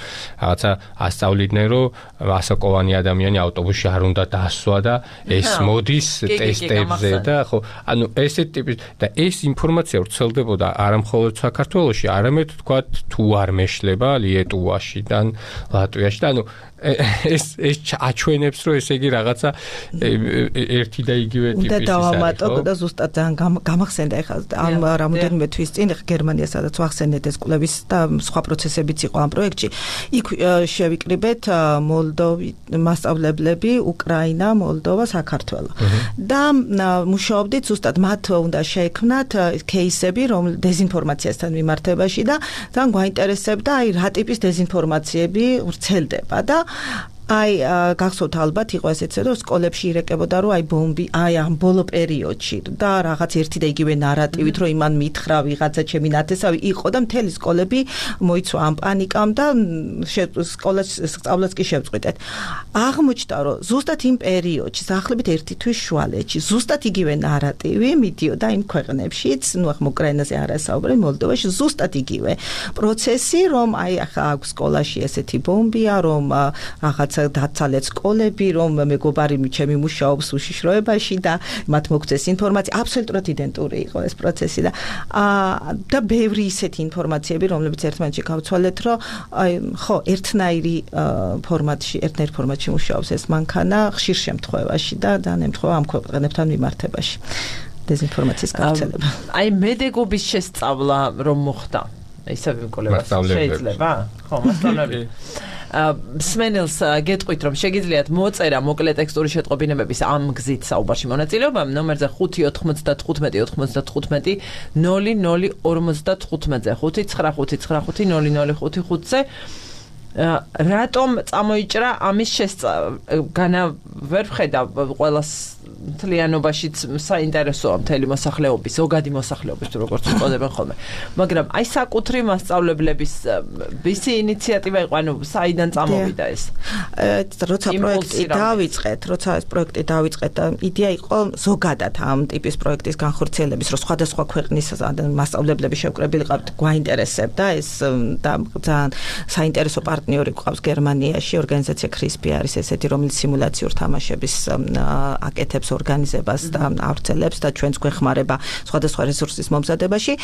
რაღაცა ასწავლიდნენ, რომ ასაკოვანი ადამიანი ავტობუსში არ უნდა დასვა და ეს მოდის ტესტებზე და ხო, ანუ ესეთ ტიპის და ეს ინფორმაცია ვრცელდებოდა არა მხოლოდ საქართველოში, არამედ ვთქვათ, თუ არ მეშლება ლიეტუვაშიდან, ლატვიაში და ანუ ეს ეს აჩვენებს რომ ესე იგი რაღაცა ერთი და იგივე ტიპის ის არის. და დავამატო და ზუსტად ძალიან გამახსენდა ეხლა ამ რამოდენიმე თვის წინ გერმანია სადაც ვახსენეთ ეს კვლევის და სხვა პროცესებიც იყო ამ პროექტში. იქ შევიკრიბეთ მოლდოვი მასწავლებლები, უკრაინა, მოლდოვა, საქართველო. და მუშაობდით ზუსტად მათ უნდა შეექმნათ кейსები რომ დეზინფორმაციასთან მიმართებაში და ძალიან გვაინტერესებდა აი რა ტიპის დეზინფორმაციები ვრცელდება და აი გახსოვთ ალბათ იყო ესეც რომ სკოლებში ირეკებოდა რომ აი ბომბი აი ამ ბოლო პერიოდში და რაღაც ერთი და იგივე ნარატივით რომ იმან მითხრა ვიღაცა ჩემი ნათესავი იყო და მთელი სკოლები მოიცვა ამ პანიკამ და სკოლას სწავლაც კი შევწყვიტეთ. აღმოჩნდა რომ ზუსტად იმ პერიოდში სახლებით ერთი თვის შუალედში ზუსტად იგივე ნარატივი მიდიოდა იმ ქვეყნებშიც, ნუ ახლა უკრაინაზე არასაუბრე, მოლდოვაში ზუსტად იგივე პროცესი რომ აი ახლა აქვს სკოლაში ესეთი ბომბია რომ რაღაც დაცალეთ სკოლები, რომ მეგობარი ჩემი მუშაობს უშიშროებაში და მათ მოგწეს ინფორმაცია, აბსოლუტურად იდენტური იყო ეს პროცესი და და ბევრი ისეთი ინფორმაციები, რომლებიც ერთმანეთში გავცვალეთ, რომ ხო, ერთნაირი ფორმატში, ერთნაირ ფორმატში მუშაობს ეს მანქანა ხშირ შემთხვევაში და ძალიან ემთხვევა ამ ქვეყნებთან მიმართებაში. დეზინფორმაციის გავრცელება. აი მედეგობის შესწავლა რომ მოხდა. ისევ კოლეგას შეიძლება? ხო, მასწავლებელი. სმენელს გეტყვით რომ შეგიძლიათ მოწერა მოკლე ტექსტური შეტყობინებების ამ გზით საუბარში მონაწილეობა ნომერზე ხუთი ოთხმოცდათხუთმეტი ოთხმოცდათხუთმეტი ნული ნული ორმოცდათხუთმეტზე ხუთი ცხრა ხუთი ცხრა ხუთი ნული ნული ხუთი ხუთზე რატომ წამოიჭრა ამის შესწავლა ვერ ვხედავ ყველას მთლიანობაშიც საინტერესოა მთელი მოსახლეობის, ზოგადი მოსახლეობის თუ როგორც უწოდებენ ხოლმე. მაგრამ აი საკუთრი მასწავლებლების ვისი ინიციატივა იყო, ანუ საიდან წამოვიდა ეს? როცა პროექტი დავიწყეთ, როცა ეს პროექტი დავიწყეთ, იდეა იყო ზოგადად ამ ტიპის პროექტის განხორციელების, რომ სხვადასხვა ქვეყნის მასწავლებლები შევკრებილი ყავთ, გვაინტერესებდა ეს და ძალიან საინტერესო პარტნიორი გვყავს გერმანიაში, ორგანიზაცია კრისპი არის ესეთი, რომელიც სიმულაციურ თამაშების აკეთებს ორგანიზებას და ავრცელებს და ჩვენს გვეხმარება სხვადასხვა რესურსის მომზადებაში.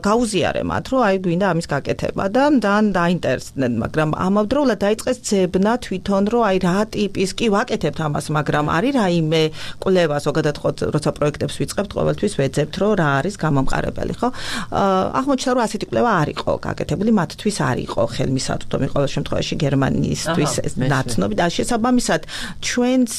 გაუზიარე მათ, რომ აი გვინდა ამის გაკეთება და ძალიან დაინტერესდნენ, მაგრამ ამავდროულად დაიწყეს ძებნა თვითონ, რომ აი რა ტიპის კი ვაკეთებთ ამას, მაგრამ არის რაიმე კვლევა, ზოგადად ხო, როცა პროექტებს ვიწყებთ, ყოველთვის ვეძებთ, რომ რა არის გამომყარებელი, ხო? აღმოჩნდა, რომ ასეთი კვლევა არ იყო გაკეთებული, მათთვის არ იყო ხელმისაწვდომი ყოველ შემთხვევაში გერმანიისთვის ნაცნობი და შესაბამისად ჩვენს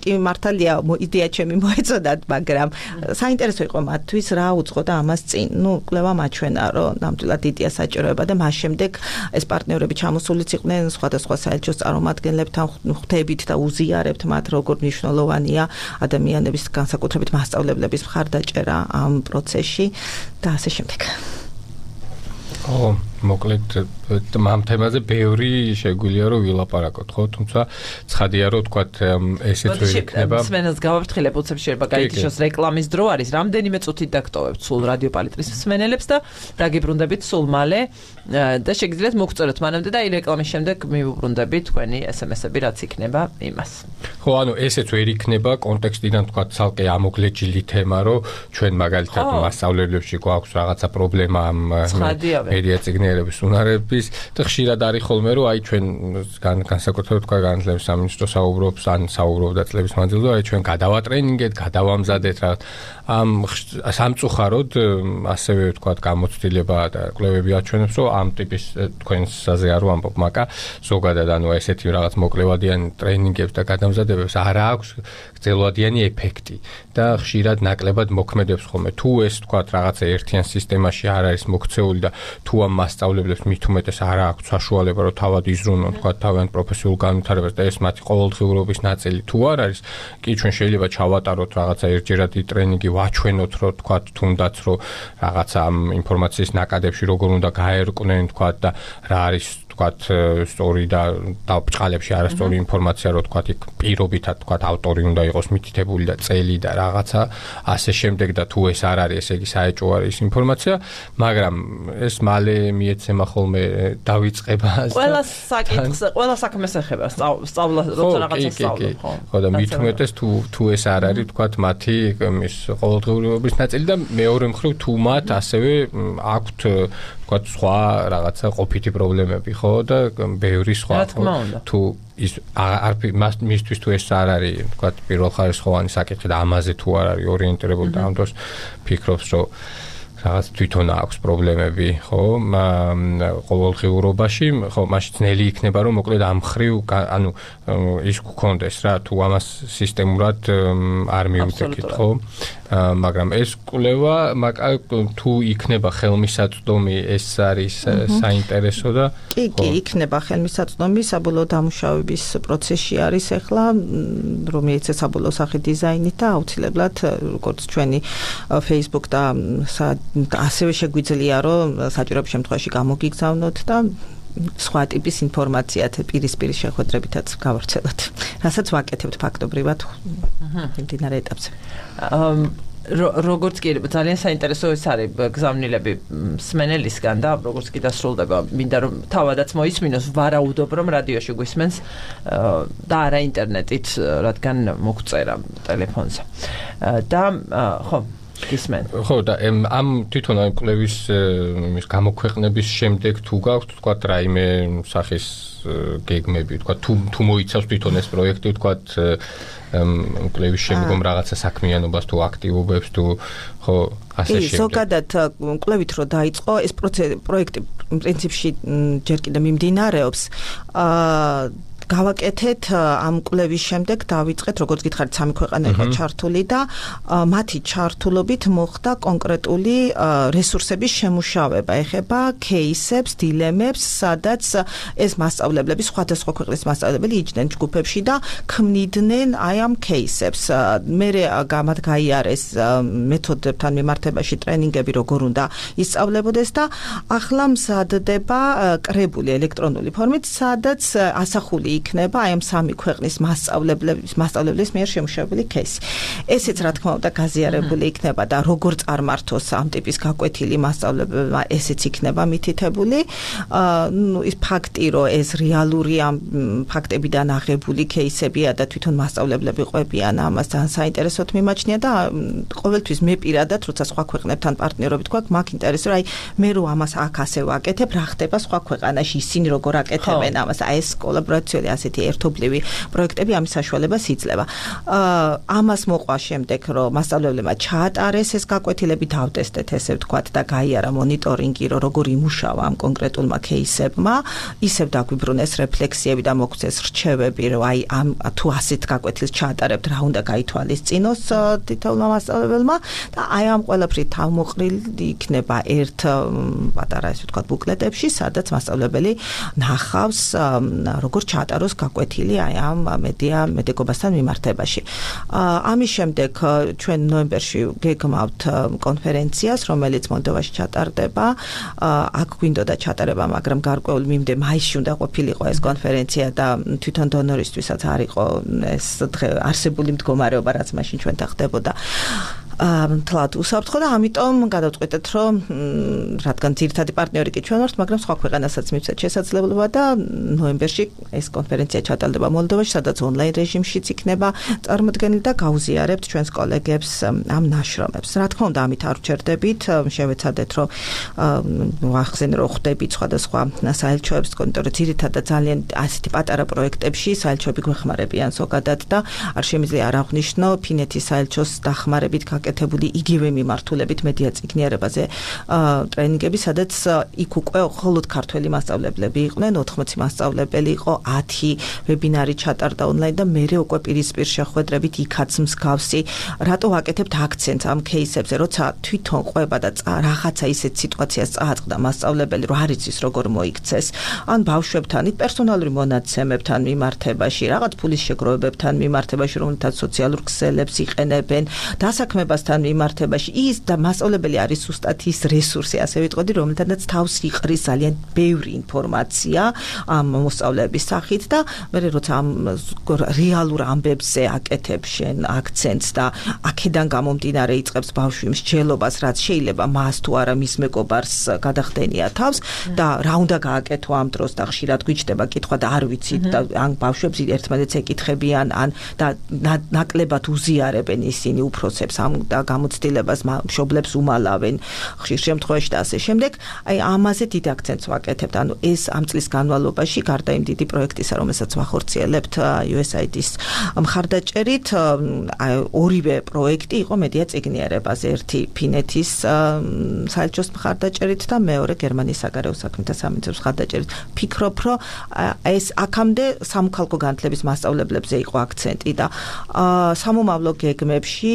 კი მართალია იდეა ჩემი მოეწოდათ, მაგრამ საინტერესო იყო მათთვის რა უძღო და ამას წინ. ნუ კვლევა მაჩვენა, რომ ნამდვილად იდეა საჭიროება და მას შემდეგ ეს პარტნიორები ჩამოსულიც იყვნენ სხვადასხვა საელჩოს წარმომადგენლებთან, ხვდებით და უზიარებთ მათ, როგორ მნიშვნელოვანია ადამიანების განსაკუთრებით მასწავლებლების მხარდაჭერა ამ პროცესში და ასე შემდეგ. ო, მოკლედ ამ თემაზე ბევრი შეგვიძლია რომ ვილაპარაკოთ, ხო? თუმცა ცხადია რომ თქვათ ესეც ვერ იქნება. სმენელს გავაფრთხილებ, უცებ შეიძლება გაიგიშოს რეკლამის დრო არის. რამდენიმე წუთით დაგტოვებთ სულ რადიო პალიტრის სმენელებს და დაგიბრუნდებით სულ მალე და შეგიძლიათ მოგწეროთ მანამდე და აი რეკლამის შემდეგ მივუბრუნდებით თქვენი ესემესები რაც იქნება იმას. ხო, ანუ ესეც ვერ იქნება კონტექსტიდან თქვათ ცალკე ამოგლეჯილი თემა, რომ ჩვენ მაგალითად მასწავლებლებში გვაქვს რაღაცა პრობლემა ამ მედია წიგნიერების უნარების და ხშირად არის ხოლმე რომ აი ჩვენ განსაკუთრებით თქვა განათლების სამინისტრო საუბრობს ან საუბრობდა წლების მანძილზე აი ჩვენ გადავატრენინგეთ, გადავამზადეთ რა ამ სამწუხაროდ ასევე თქვა გამოცდილება და კვლევები აჩვენებს რომ ამ ტიპის თქვენსაზე არ ვამბობ, მაგრამ ზოგადად ანუ ესეთი რაღაც მოკლევადიანი ტრენინგებს და გადამზადებებს არ აქვს გრძელვადიანი ეფექტი და ხშირად ნაკლებად მოქმედებს ხოლმე. თუ ეს თქვა რაღაცა ერთიან სისტემაში არ არის მოქცეული და თუ ამ მასწავლებლებს მასწავლებლებს მით უმეტეს არ აქვს საშუალება რომ თავად იზრუნონ თქვა თავიანთ პროფესიულ განვითარებას და ეს მათი ყოველდღიურობის ნაწილი თუ არ არის კი ჩვენ შეიძლება ჩავატაროთ რაღაცა ერთჯერადი ტრენინგი ვაჩვენოთ რომ თქვა თუნდაც რომ რაღაცა ამ ინფორმაციის ნაკადებში როგორ უნდა გაერკვნენ თქვა და რა არის თქვათ სტორი და დაბჭყალებში არასწორი ინფორმაცია რო თქვათ იქ პირობითად თქვათ ავტორი უნდა იყოს მითითებული და წელი და რაღაცა ასე შემდეგ და თუ ეს არ არის ესე იგი საეჭვო არის ინფორმაცია მაგრამ ეს მალე მიეცემა ხოლმე დავიწყება ყველა საკითხს ყველა საქმეს ეხება სწავლა როცა რაღაცა სწავლობ ხო ხო და მით უმეტეს თუ თუ ეს არ არის თქვათ მათი ის ყოველდღიურობის ნაწილი და მეორე მხრივ თუ მათ ასევე აქვთ თქვათ სხვა რაღაცა ყოფითი პრობლემები ხო და ბევრი სხვა თუ ის არ მისთვის თუ ეს არ არის თქვათ პირველხარისხოვანი საკითხი და ამაზე თუ არ არის ორიენტირებული და ამ დროს ფიქრობს რომ რაღაც თვითონ აქვს პრობლემები ხო ყოველდღიურობაში ხო მაშინ ძნელი იქნება რომ მოკლედ ამ ხრივ ანუ ის გქონდეს რა თუ ამას სისტემურად არ მივუძებთ ხო მაგრამ ეს კვლევა თუ იქნება ხელმისაწვდომი ეს არის საინტერესო და კი კი იქნება ხელმისაწვდომი საბოლოო დამუშავების პროცესში არის ახლა რომ მიეცეს საბოლოო სახე დიზაინით და აუცილებლად როგორც ჩვენი Facebook და ასევე შეგვიძლია რომ საჭიროების შემთხვევაში გამოგიგზავნოთ და სხვა ტიპის ინფორმაციათ პირისპირ შეხვედრებითაც გავავრცელოთ. რასაც ვაკეთებთ ფაქტობრივად მიმდინარე ეტაპზე. როგორც კი ძალიან საინტერესო ეს არის გზავნილები სმენელისგან და როგორც კი დასრულდება მინდა რომ თავადაც მოისმინოს ვარაუდობ რომ რადიოში გვისმენს და არა ინტერნეტით რადგან მოგწერა ტელეფონზე და ხო გისმენ ხო და ამ თვითონ ამ კვლევის ის გამოქვეყნების შემდეგ თუ გაქვთ თქვა რაიმე სახის გეგმები თქვა თუ თუ მოიცავს თვითონ ეს პროექტი თქვა კვლევის შემდგომ რაღაცა საქმიანობას თუ აქტივობებს თუ ხო ასე შემდეგ. ზოგადად კვლევით რო დაიწყო ეს პროექტი პრინციპში ჯერ კიდევ მიმდინარეობს აა გავაკეთეთ ამ კვლევის შემდეგ დავიწყეთ როგორც გითხარით სამი ქვეყანა იყო ჩართული და მათი ჩართულობით მოხდა კონკრეტული რესურსების შემუშავება ეხება кейსებს, დილემებს, სადაც ეს მასწავლებლები სხვადასხვა ქვეყნის მასწავლებლები იჯდნენ ჯგუფებში და ქმნიდნენ აი ამ кейსებს. მერე გამად გაიარეს მეთოდებთან მიმართებაში ტრენინგები როგორ უნდა ისწავლებოდეს და ახლა მზადდება კრებული ელექტრონული ფორმით, სადაც ასახული იქნება აი ამ სამი ქვეყნის მასწავლებლების მასწავლებლების მიერ შემუშავებული кейსი. ესეც რა თქმა უნდა გაზიარებული იქნება და როგორ წარმართოს ამ ტიპის გაკვეთილი მასწავლებლებმა ესეც იქნება მითითებული. ნუ ის ფაქტი რომ ეს რეალური ამ ფაქტებიდან აღებული кейსებია და თვითონ მასწავლებლები ყვებიან ამას ძალიან საინტერესოდ მიმაჩნია და ყოველთვის მე პირადად როცა სხვა ქვეყნებთან პარტნიორობით გვაქვს მაგ ინტერესს რომ აი მე რო ამას აქ ასე ვაკეთებ რა ხდება სხვა ქვეყანაში ისინი როგორ აკეთებენ ამას აი ეს კოლაბორაციული ასეთი ერთობლივი პროექტები ამის საშუალებას იძლევა. ამას მოყვა შემდეგ რომ მასწავლებლებმა ჩაატარეს ეს გაკვეთილები დავტესტეთ ესე ვთქვათ და გაიარა მონიტორინგი რომ როგორ იმუშავა ამ კონკრეტულმა кейსებმა ისევ დაგვიბრუნეს რეფლექსიები და მოგვცეს რჩევები რომ აი ამ თუ ასეთ გაკვეთილს ჩაატარებთ რა უნდა გაითვალისწინოს თითოეულმა მასწავლებელმა და აი ამ ყველაფრით თავმოყრილი იქნება ერთ პატარა ესე ვთქვათ ბუკლეტებში სადაც მასწავლებელი ნახავს როგორ ჩაატაროს გაკვეთილი აი ამ მედია მედიკობასთან მიმართებაში. ამის შემდეგ ჩვენ ნოემბერში გეგმავთ კონფერენციას, რომელიც მოლდოვაში ჩატარდება. აქ გვინდოდა ჩატარება, მაგრამ გარკვეულ მიმდე მაისში უნდა ყოფილიყო ეს კონფერენცია და თვითონ დონორისთვისაც არ იყო ეს დღე არსებული მდგომარეობა, რაც მაშინ ჩვენთან ხდებოდა. თლად უსაფრთხო და ამიტომ გადავწყვეტეთ რომ რადგან ძირითადი პარტნიორი კი ჩვენ ვართ, მაგრამ სხვა ქვეყანასაც მივცეთ შესაძლებლობა და ნოემბერში ეს კონფერენცია ჩატარდება მოლდოვაში, სადაც ონლაინ რეჟიმშიც იქნება წარმოდგენილი და გავუზიარებთ ჩვენს კოლეგებს ამ ნაშრომებს. რა თქმა უნდა, ამით არ ვჩერდებით, შევეცადეთ რომ ვახსენე რომ ხვდებით სხვადასხვა საელჩოებს, იმიტომ რომ ძირითადად ძალიან ასეთი პატარა პროექტებში საელჩოები გვეხმარებიან ზოგადად და არ შემიძლია არ აღვნიშნო ფინეთის საელჩოს დახმარებით გაკეთებული იგივე მიმართულებით მედია წიგნიერებაზე ტრენინგები, სადაც იქ უკვე მხოლოდ ქართველი მასწავლებლები იყვნენ, ოთხმოცი მასწავლებელი იყო, ათი ვებინარი ჩატარდა ონლაინ და მერე უკვე პირისპირ შეხვედრებით იქაც მსგავსი. რატო ვაკეთებთ აქცენტს ამ кейსებზე, როცა თვითონ ყვება და რაღაცა ისეთ სიტუაციას წააწყდა მასწავლებელი, რომ არ იცის როგორ მოიქცეს, ან ბავშვებთან, პერსონალური მონაცემებთან მიმართებაში, რაღაც ფულის შეგროვებებთან მიმართებაში, რომელთაც სოციალურ ქსელებს იყენებენ, დასაქმებასთან მიმართებაში, ის და მასწავლებელი არის ზუსტად ის რესურსი, ასე ვიტყოდი, რომელთაც თავს იყრის ძალიან ბევრი ინფორმაცია ამ მოსწავლეების სახით და მე როცა ამ რეალურ ამბებზე აკეთებ შენ აქცენტს და აქედან გამომდინარე იწყებს ბავშვი მსჯელობას, რაც შეიძლება მას თუ არა მის მეგობარს გადახდენია თავს და რა უნდა გააკეთო ამ დროს და ხშირად გვიჩნდება კითხვა და არ ვიცით და ან ბავშვებს ერთმანეთს ეკითხებიან ან და ნაკლებად უზიარებენ ისინი უფროსებს ამ და გამოცდილებას მშობლებს უმალავენ ხშირ შემთხვევაში და ასე შემდეგ. აი ამაზე დიდ აქცენტს ვაკეთებთ. ანუ ეს ამ წლის განმავლობაში გარდა იმ დიდი პროექტისა, რომელსაც ვახორციელებთ იუ ეს აი დი-ის მხარდაჭერით, ორივე პროექტი იყო მედია წიგნიერებაზე, ერთი ფინეთის საელჩოს მხარდაჭერით და მეორე გერმანიის საგარეო საქმეთა სამინისტროს მხარდაჭერით. ფიქრობ, რომ ეს აქამდე სამოქალაქო განათლების მასწავლებლებზე იყო აქცენტი და სამომავლო გეგმებში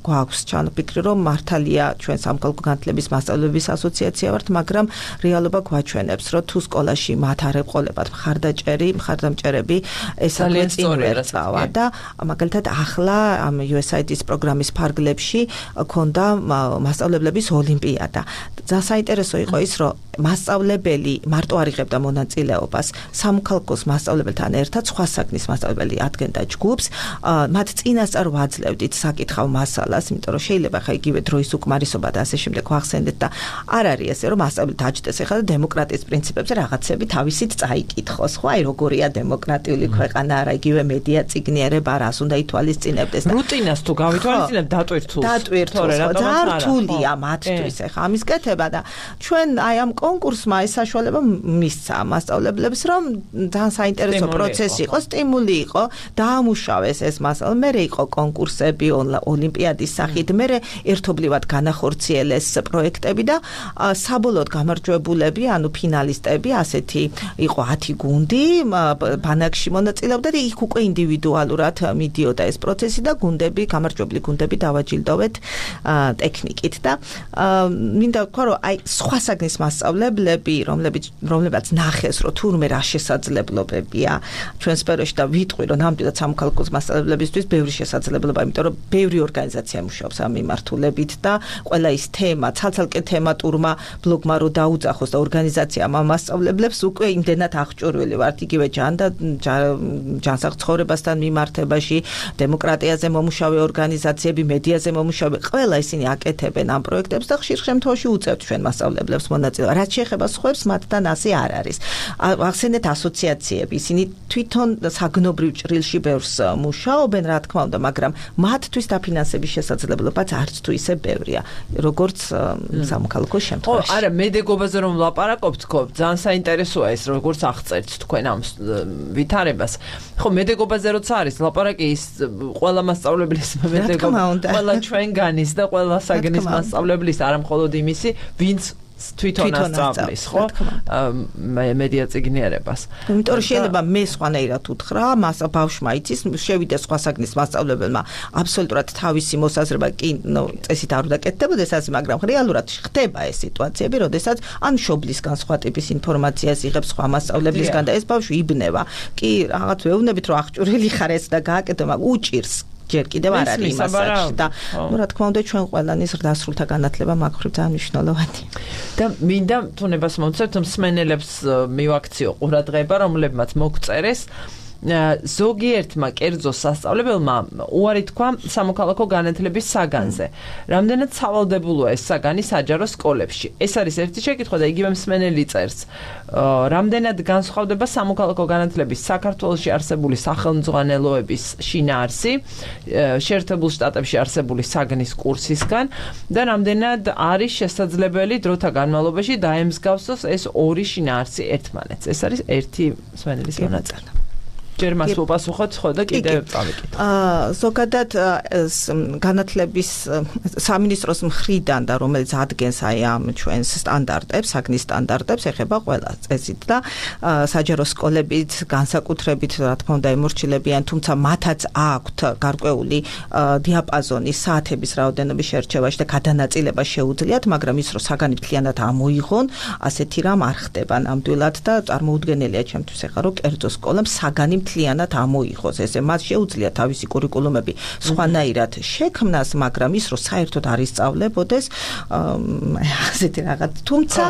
გვაქვს ჩანაფიქრი, რომ მართალია ჩვენ სამოქალაქო განათლების მასწავლებლების ასოციაცია ვართ, მაგრამ რეალობა გვაჩვენებს, რომ თუ სკოლაში მათ არ ეყოლებათ მხარდაჭერი, მხარდამჭერები, ეს ძალიან ვერ წავა და მაგალითად ახლა ამ იუ ეს აი დი-ის პროგრამის ფარგლებში ქონდა მასწავლებლების ოლიმპიადა. ძალიან საინტერესო იყო ის, რომ მასწავლებელი მარტო არ იღებდა მონაწილეობას, სამოქალაქოს მასწავლებელთან ერთად სხვა საგნის მასწავლებელი ადგენდა ჯგუფს, მათ წინასწარ ვაძლევდით საკითხავ მასალას, იმიტომ რომ შეიძლება ხა იგივე დროის უკმარისობა და ასე შემდეგ ვახსენდეთ და არ არის ესე, რომ მასწავლებელი დაჯდეს ახლა და დემოკრატიის პრინციპებზე რაღაცები თავისით წაიკითხოს, ხო, აი როგორია დემოკრატიული ქვეყანა, არა იგივე მედია წიგნიერება, რას უნდა ითვალისწინებდეს და რუტინას თუ გავითვალისწინებთ დატვირთულს. დატვირთულს, ძალიან რთულია მათთვის ახლა ამის კეთება და ჩვენ აი ამ კონკურსმა ეს საშუალება მისცა მასწავლებლებს, რომ ძალიან საინტერესო პროცესი იყო, სტიმული იყო, დაამუშავეს ეს მასალა, მერე იყო კონკურსები ოლიმპიადის სახით, მერე ერთობლივად განახორციელეს პროექტები და საბოლოოდ გამარჯვებულები, ანუ ფინალისტები, ასეთი იყო ათი გუნდი, ბანაკში მონაწილეობდა და იქ უკვე ინდივიდუალურად მიდიოდა ეს პროცესი და გუნდები, გამარჯვებული გუნდები დავაჯილდოვეთ ტექნიკით და მინდა ვთქვა, რომ აი სხვა საგნის მასწავლებლები, რომლებიც რომლებაც ნახეს, რომ თურმე რა შესაძლებლობებია ჩვენ სფეროში და ვიტყვი, რომ ნამდვილად სამოქალაქოს მასწავლებლებისთვის ბევრი შესაძლებლობა, იმიტომ რომ ბევრი ორგანიზაცია მუშაობს ამ მიმართულებით და ყველა ის თემა, ცალ-ცალკე თემატურმა ბლოგმა რო დაუძახოს და ორგანიზაციამ ამ მასწავლებლებს უკვე იმდენად აღჭურვილი ვართ იგივე ჯან და ჯანსაღ ცხოვრებასთან მიმართებაში, დემოკრატიაზე მომუშავე ორგანიზაციები, მედიაზე მომუშავე, ყველა ისინი აკეთებენ ამ პროექტებს და ხშირ შემთხვევაში უწევთ ჩვენ მასწავლებლებს მონაწილეობა. რაც შეეხება სხვებს, მათთან ასე არ არის. ახსენეთ ასოციაციები, ისინი თვითონ საგნობრივ ჭრილში ბევრს მუშაობენ, რა თქმა უნდა, მაგრამ მათთვის დაფინანსების შესაძლებლობაც არც თუ ისე ბევრია, როგორც სამოქალაქო შემთხვევაში. ხო, არა, მედეგობაზე რომ ვლაპარაკობთ, ხო, ძალიან საინტერესოა ეს, როგორც აღწერთ თქვენ ამ ვითარებას. ხო, მედეგობაზე როცა არის ლაპარაკი, ის ყველა მასწავლებლის მედეგობა, ყველა ჩვენგანის და ყველა საგნის მასწავლებლის, არა მხოლოდ იმისი, ვინც თვითონ ასწავლის, ხო? მედია წიგნიერებას. იმიტომ რომ შეიძლება მე სხვანაირად უთხრა, მას ბავშვმა იცის, შევიდა სხვა საგნის მასწავლებელმა, აბსოლუტურად თავისი მოსაზრება კი, ნუ, წესით არ უნდა კეთდებოდეს ასე, მაგრამ რეალურად ხდება ეს სიტუაციები, როდესაც ან მშობლისგან სხვა ტიპის ინფორმაციას იღებს სხვა მასწავლებლისგან და ეს ბავშვი იბნება. კი, რაღაც ვეუბნებით, რომ აღჭურვილი ხარ ეს და გააკეთო, მაგრამ უჭირს ჯერ კიდევ არ არის მასაჟი და ნუ რა თქმა უნდა ჩვენ ყველანის დასრულთა განათლება მაგ მხრივ ძალიან მნიშვნელოვანია. და მინდა თუნებას მომცეთ მსმენელებს მივაქციო ყურადღება, რომლებმაც მოგწერეს ზოგიერთმა კერძო სასწავლებელმა უარი თქვა სამოქალაქო განათლების საგანზე. რამდენად სავალდებულოა ეს საგანი საჯარო სკოლებში? ეს არის ერთი შეკითხვა და იგივე მსმენელი წერს. რამდენად განსხვავდება სამოქალაქო განათლების საქართველოში არსებული სახელმძღვანელოების შინაარსი შეერთებულ შტატებში არსებული საგნის კურსისგან და რამდენად არის შესაძლებელი დროთა განმავლობაში დაემსგავსოს ეს ორი შინაარსი ერთმანეთს? ეს არის ერთი მსმენელის მონაწილე. ჯერ მას უპასუხოთ ხო და კიდე წავიკითხოთ. აა ზოგადად განათლების სამინისტროს მხრიდან და რომელიც ადგენს აი ამ ჩვენს სტანდარტებს, საგნის სტანდარტებს, ეხება ყველა წესით და საჯარო სკოლებით განსაკუთრებით რა თქმა უნდა ემორჩილებიან, თუმცა მათაც აქვთ გარკვეული დიაპაზონი საათების რაოდენობის შერჩევაში და გადანაწილება შეუძლიათ, მაგრამ ის რომ საგანი მთლიანად ამოიღონ, ასეთი რამ არ ხდება ნამდვილად და წარმოუდგენელია ჩემთვის ეხლა რომ კერძო სკოლამ საგანი მთლიანად ამოიღოს. ესე მას შეუძლია თავისი კურიკულუმები სხვანაირად შექმნას, მაგრამ ის რომ საერთოდ არ ისწავლებოდეს ასეთი რაღაც. თუმცა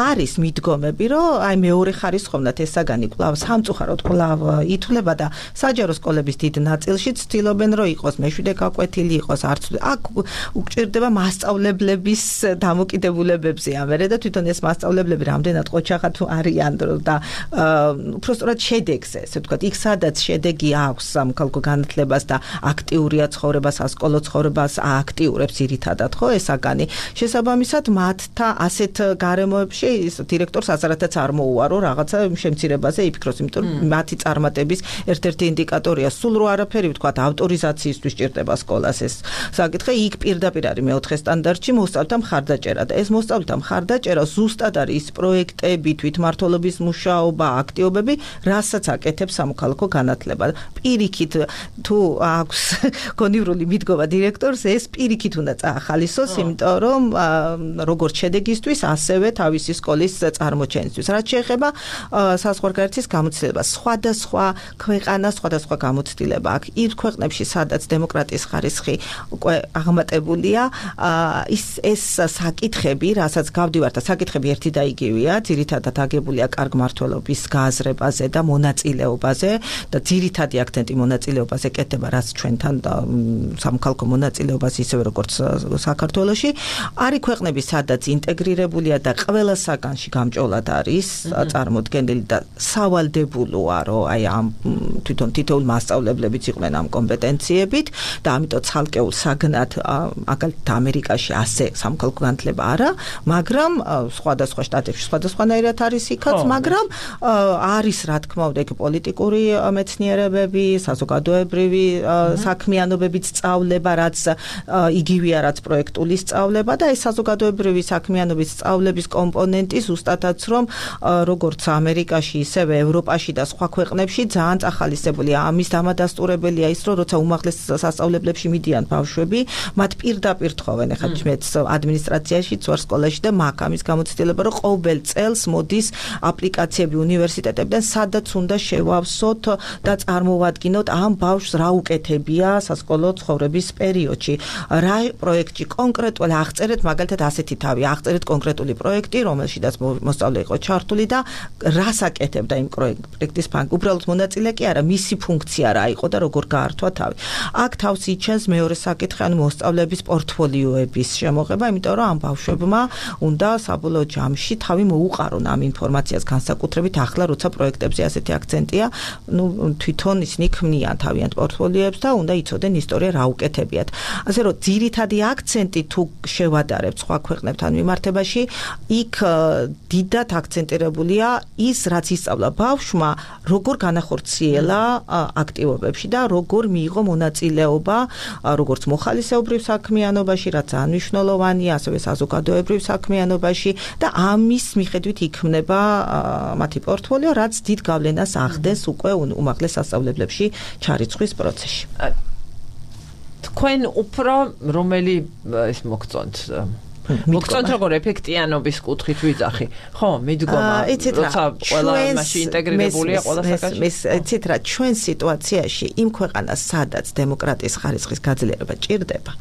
არის მიდგომები, რომ აი მეორე ხარისხოვნად ეს საგანი კვლავ სამწუხაროდ კვლავ ითვლება და საჯარო სკოლების დიდ ნაწილში ცდილობენ რომ იყოს მეშვიდე გაკვეთილი იყოს, არც აქ უჭირდება მასწავლებლების დამოკიდებულებებზე ამერე და თვითონ ეს მასწავლებლები რამდენად ყოჩაღად არიან და უბრალოდ შედეგზე, ესე ვთქვათ, იქ სადაც შედეგი აქვს სამხალხო განათლებას და აქტიურია ცხოვრება, სასკოლო ცხოვრებას ააქტიურებს ძირითადად, ხო, ეს საგანი. შესაბამისად, მათთა ასეთ გარემოებში ის დირექტორს აზრათაც არ მოუარო რაღაცა შემცირებაზე იფიქროს, იმიტომ რომ მათი წარმატების ერთ-ერთი ინდიკატორია სულ რო არაფერი ვთქვათ, ავტორიზაციისთვის ჭირდება სკოლას ეს საკითხი, იქ პირდაპირ არის მეოთხე სტანდარტში მოსწავლეთა მხარდაჭერა და ეს მოსწავლეთა მხარდაჭერა ზუსტად არის ის პროექტები, თვითმმართველობის მუშაობა, აქტივობები, რასაც აკეთებს სამოქალაქო განათლება. პირიქით თუ აქვს გონივრული მიდგომა დირექტორს, ეს პირიქით უნდა წაახალისოს, იმიტომ რომ როგორც შედეგისთვის, ასევე თავისი სკოლის წარმოჩენისთვის. რაც შეეხება საზღვარგარეთის გამოცდილებას, სხვადასხვა ქვეყანა, სხვადასხვა გამოცდილება აქვს. იმ ქვეყნებში, სადაც დემოკრატიის ხარისხი უკვე აღმატებულია, ის ეს საკითხები, რასაც გავდივართ, საკითხები ერთი და იგივეა, ძირითადად აგებულია კარგ მმართველობის გააზრებაზე და მონაწილეობაზე და ძირითადი აქცენტი მონაწილეობაზე კეთდება, რაც ჩვენთან სამხალხო მონაწილეობას ისევე როგორც საქართველოში. არის ქვეყნები, სადაც ინტეგრირებულია და ყველა საგანში გამჭოლად არის წარმოდგენილი და სავალდებულოა, რომ აი ამ თვითონ თითოეულ მასწავლებლებიც იყვნენ ამ კომპეტენციებით და ამიტომ ცალკეულ საგნად მაგალითად ამერიკაში ასე სამხალხო განათლება არა, მაგრამ სხვადასხვა შტატებში სხვადასხვანაირად არის იქაც, მაგრამ არის რა თქმა უნდა პოლიტიკური მეცნიერებები, საზოგადოებრივი საქმიანობებით სწავლება, რაც იგივეა, რაც პროექტული სწავლება და ეს საზოგადოებრივი საქმიანობის სწავლების კომპონენტი ზუსტადაც რომ როგორც ამერიკაში, ისევე ევროპაში და სხვა ქვეყნებში ძალიან წახალისებულია. ამის დამადასტურებელია ის, რომ როცა უმაღლეს სასწავლებლებში მიდიან ბავშვები, მათ პირდაპირ თხოვენ, ეხლა მეც ადმინისტრაციაში ვარ სკოლაში და მაქვს ამის გამოცდილება, რომ ყოველ წელს მოდის აპლიკაციები უნივერსიტეტებიდან, სადაც უნდა შევავსოთ და წარმოვადგინოთ ამ ბავშვს რა უკეთებია სასკოლო ცხოვრების პერიოდში. რა პროექტი კონკრეტულად აღწერეთ, მაგალითად ასეთი თავი, აღწერეთ კონკრეტული პროექტი, რომელშიც მოსწავლე იყო ჩართული და რას აკეთებდა იმ პროექტის ფანგ. უბრალოდ მონაწილე კი არა, მისი ფუნქცია რა იყო და როგორ გაართვა თავი. აქ თავს იჩენს მეორე საკითხი, ანუ მოსწავლეების პორტფოლიოების შემოღება, იმიტომ რომ ამ ბავშვებმა უნდა საბოლოო ჯამში თავი მოუყარონ ამ ინფორმაციას განსაკუთრებით ახლა როცა პროექტებზე ასეთი აქცენტია, ну თვითონ ისინი ქმნიან თავიანთ პორტფოლიოებს და უნდა იცოდნენ ისტორია რა უკეთებიათ. ასე რომ ძირითადი აქცენტი თუ შევადარებთ სხვა ქვეყნებთან მიმართებაში, იქ დიდად აქცენტირებულია ის, რაც ისწავლა ბავშვმა, როგორ განახორციელა აქტივობებში და როგორ მიიღო მონაწილეობა, როგორც მოხალისეობრივ საქმიანობაში, რაც ძალიან მნიშვნელოვანია, ასევე საზოგადოებრივ საქმიანობაში და ამის მიხედვით იქმნება მათი პორტფოლიო, რაც დიდ გავლენას ახდენს უკვე უმაღლეს სასწავლებლებში ჩარიცხვის პროცესში. თქვენ უფრო რომელი ის მოგწონთ? მოგწონთ როგორ ეფექტიანობის კუთხით ვიძახი? ხო, მიდგომა, როცა ყველა მასში ინტეგრირებულია ყველა საკითხი. იცით რა, ჩვენ სიტუაციაში იმ ქვეყანას, სადაც დემოკრატიის ხარისხის გაძლიერება ჭირდება,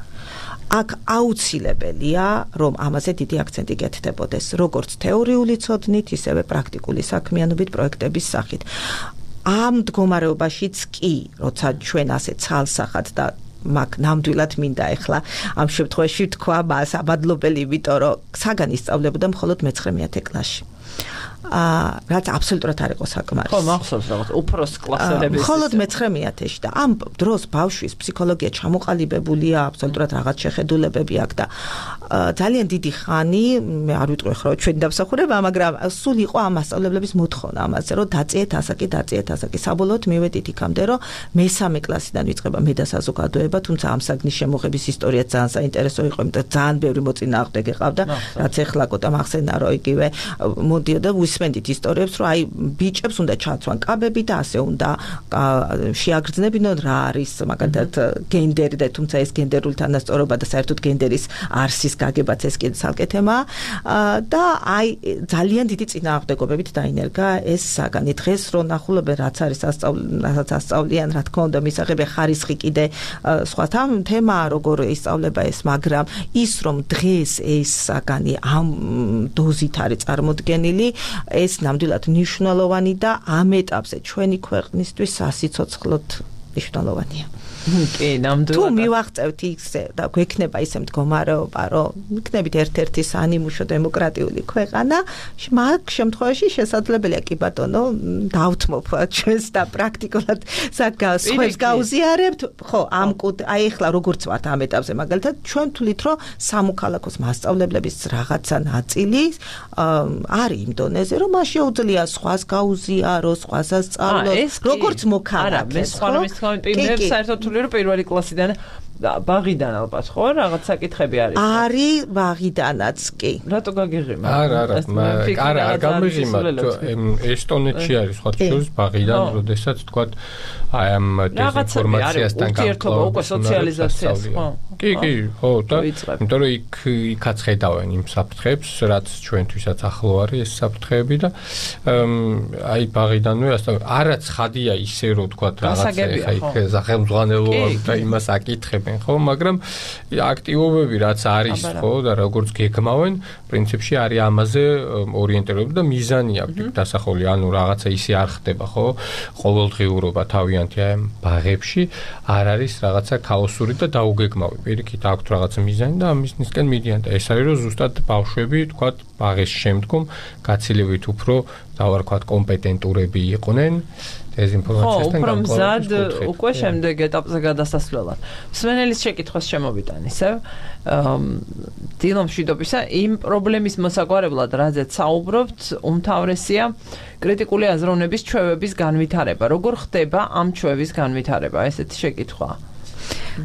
აქ აუცილებელია, რომ ამაზე დიდი აქცენტი გეთდებოდეს, როგორც თეორიული ცოდნით, ისევე პრაქტიკული საქმიანობით პროექტების სახით. ამ მდგომარეობაშიც კი, როცა ჩვენ ასე ცალსახად და მაგ ნამდვილად მინდა ახლა ამ შემთხვევაში თქვა მას აბადლობელი, იმიტომ რომ საგანი სწავლებოდა მხოლოდ მეცხრე-მეათე კლასში. რაც აბსოლუტურად არ იყო საკმარისი. ხო, მახსოვს რაღაც უფროს კლასელების. მხოლოდ მეცხრე მეათეში და ამ დროს ბავშვის ფსიქოლოგია ჩამოყალიბებულია, აბსოლუტურად რაღაც შეხედულებები აქვს და ძალიან დიდი ხანი, მე არ ვიტყვი ხო ჩვენი დამსახურება, მაგრამ სულ იყო ამ მასწავლებლების მოთხოვნა ამაზე, რომ დაწიეთ ასაკი, დაწიეთ ასაკი. საბოლოოდ მივედით იქამდე, რომ მესამე კლასიდან ვიწყება მე და საზოგადოება, თუმცა ამ საგნის შემოღების ისტორია ძალიან საინტერესო იყო, იმიტომ ძალიან ბევრი მოწინააღმდეგე ყავდა, რაც ეხლა კოტა მახსენდა, რომ იგივე მოდიოდა ვისმენდით ისტორიებს, რომ აი ბიჭებს უნდა ჩაცვან კაბები და ასე უნდა შეაგრძნებინონ რა არის მაგალითად გენდერი და თუმცა ეს გენდერული თანასწორობა და საერთოდ გენდერის არსის გაგებაც ეს კიდე ცალკე თემაა და აი ძალიან დიდი წინააღმდეგობებით დაინერგა ეს საგანი. დღეს რო ნახულობენ რაც არის რაც ასწავლიან, რა თქმა უნდა მისაღები ხარისხი კიდე სხვა თემაა როგორ ისწავლება ეს, მაგრამ ის რომ დღეს ეს საგანი ამ დოზით არის წარმოდგენილი, ეს ნამდვილად მნიშვნელოვანი და ამ ეტაპზე ჩვენი ქვეყნისთვის სასიცოცხლოდ მნიშვნელოვანია. კი, ნამდვილად. თუ მივაღწევთ ისე და გვექნება ისე მდგომარეობა, რომ ვიქნებით ერთ-ერთი საანიმუშო დემოკრატიული ქვეყანა, მაგ შემთხვევაში შესაძლებელია კი ბატონო, დავთმობ ჩვენს და პრაქტიკულად სხვებს გაუზიარებთ. ხო, ამ აი ახლა როგორც ვართ ამ ეტაპზე, მაგალითად, ჩვენ თვლით, რომ სამოქალაქოს მასწავლებლების რაღაცა ნაწილი არის იმ დონეზე, რომ მას შეუძლია სხვას გაუზიაროს, სხვას ასწავლოს, როგორც მოქალაქეს. არა, მე სხვა რამის თქმა უნდა, საერთოდ რომ პირველი კლასიდან ბაღიდან ალბათ ხო რაღაც საკითხები არის არის ბაღიდანაც კი რატო გაგიღიმა არა არა არა არ გამიღიმა ესტონეთში არის სხვა შორის ბაღიდან როდესაც თქვა აი ამ დეзинფორმაციასთან განსხვავება უკვე სოციალიზაციას ხო კი კი ხო და იმიტომ რომ იქ იქაც ხედავენ იმ საფრთხეებს რაც ჩვენთვისაც ახლო არის ეს საფრთხეები და აი ბაღიდანვე არა ცხადია ისე რომ თქვა რაღაცა ხა იქ სახელმძღვანელოა და იმას აკითხებენ ხო, მაგრამ აქტივობები რაც არის ხო და როგორც გეგმავენ, პრინციპში არის ამაზე ორიენტირებული და მიზანი აქვს დასახული, ანუ რაღაცა ისე არ ხდება, ხო? ყოველდღიურობა თავიანთი ამ ბაღებში არ არის რაღაცა ქაოსური და დაუგეგმავი. პირიქით აქვს რაღაცა მიზანი და ამისნისკენ მიდიან და ეს არის რომ ზუსტად ბავშვები, თქვა, ბაღის შემდგომ გაცილებით უფრო დავარქვათ კომპეტენტურები იყვნენ დეзинფორმაციასთან განსხვავებით. ხო, უფრო მზად უკვე შემდეგ ეტაპზე გადასასვლელად. მსმენელის შეკითხვას შემოვიტან ისევ დილომშვიდობისა იმ პრობლემის მოსაგვარებლად, რაზეც საუბრობთ, უმთავრესია კრიტიკული აზროვნების ჩვევების განვითარება. როგორ ხდება ამ ჩვევის განვითარება? ესეთი შეკითხვაა.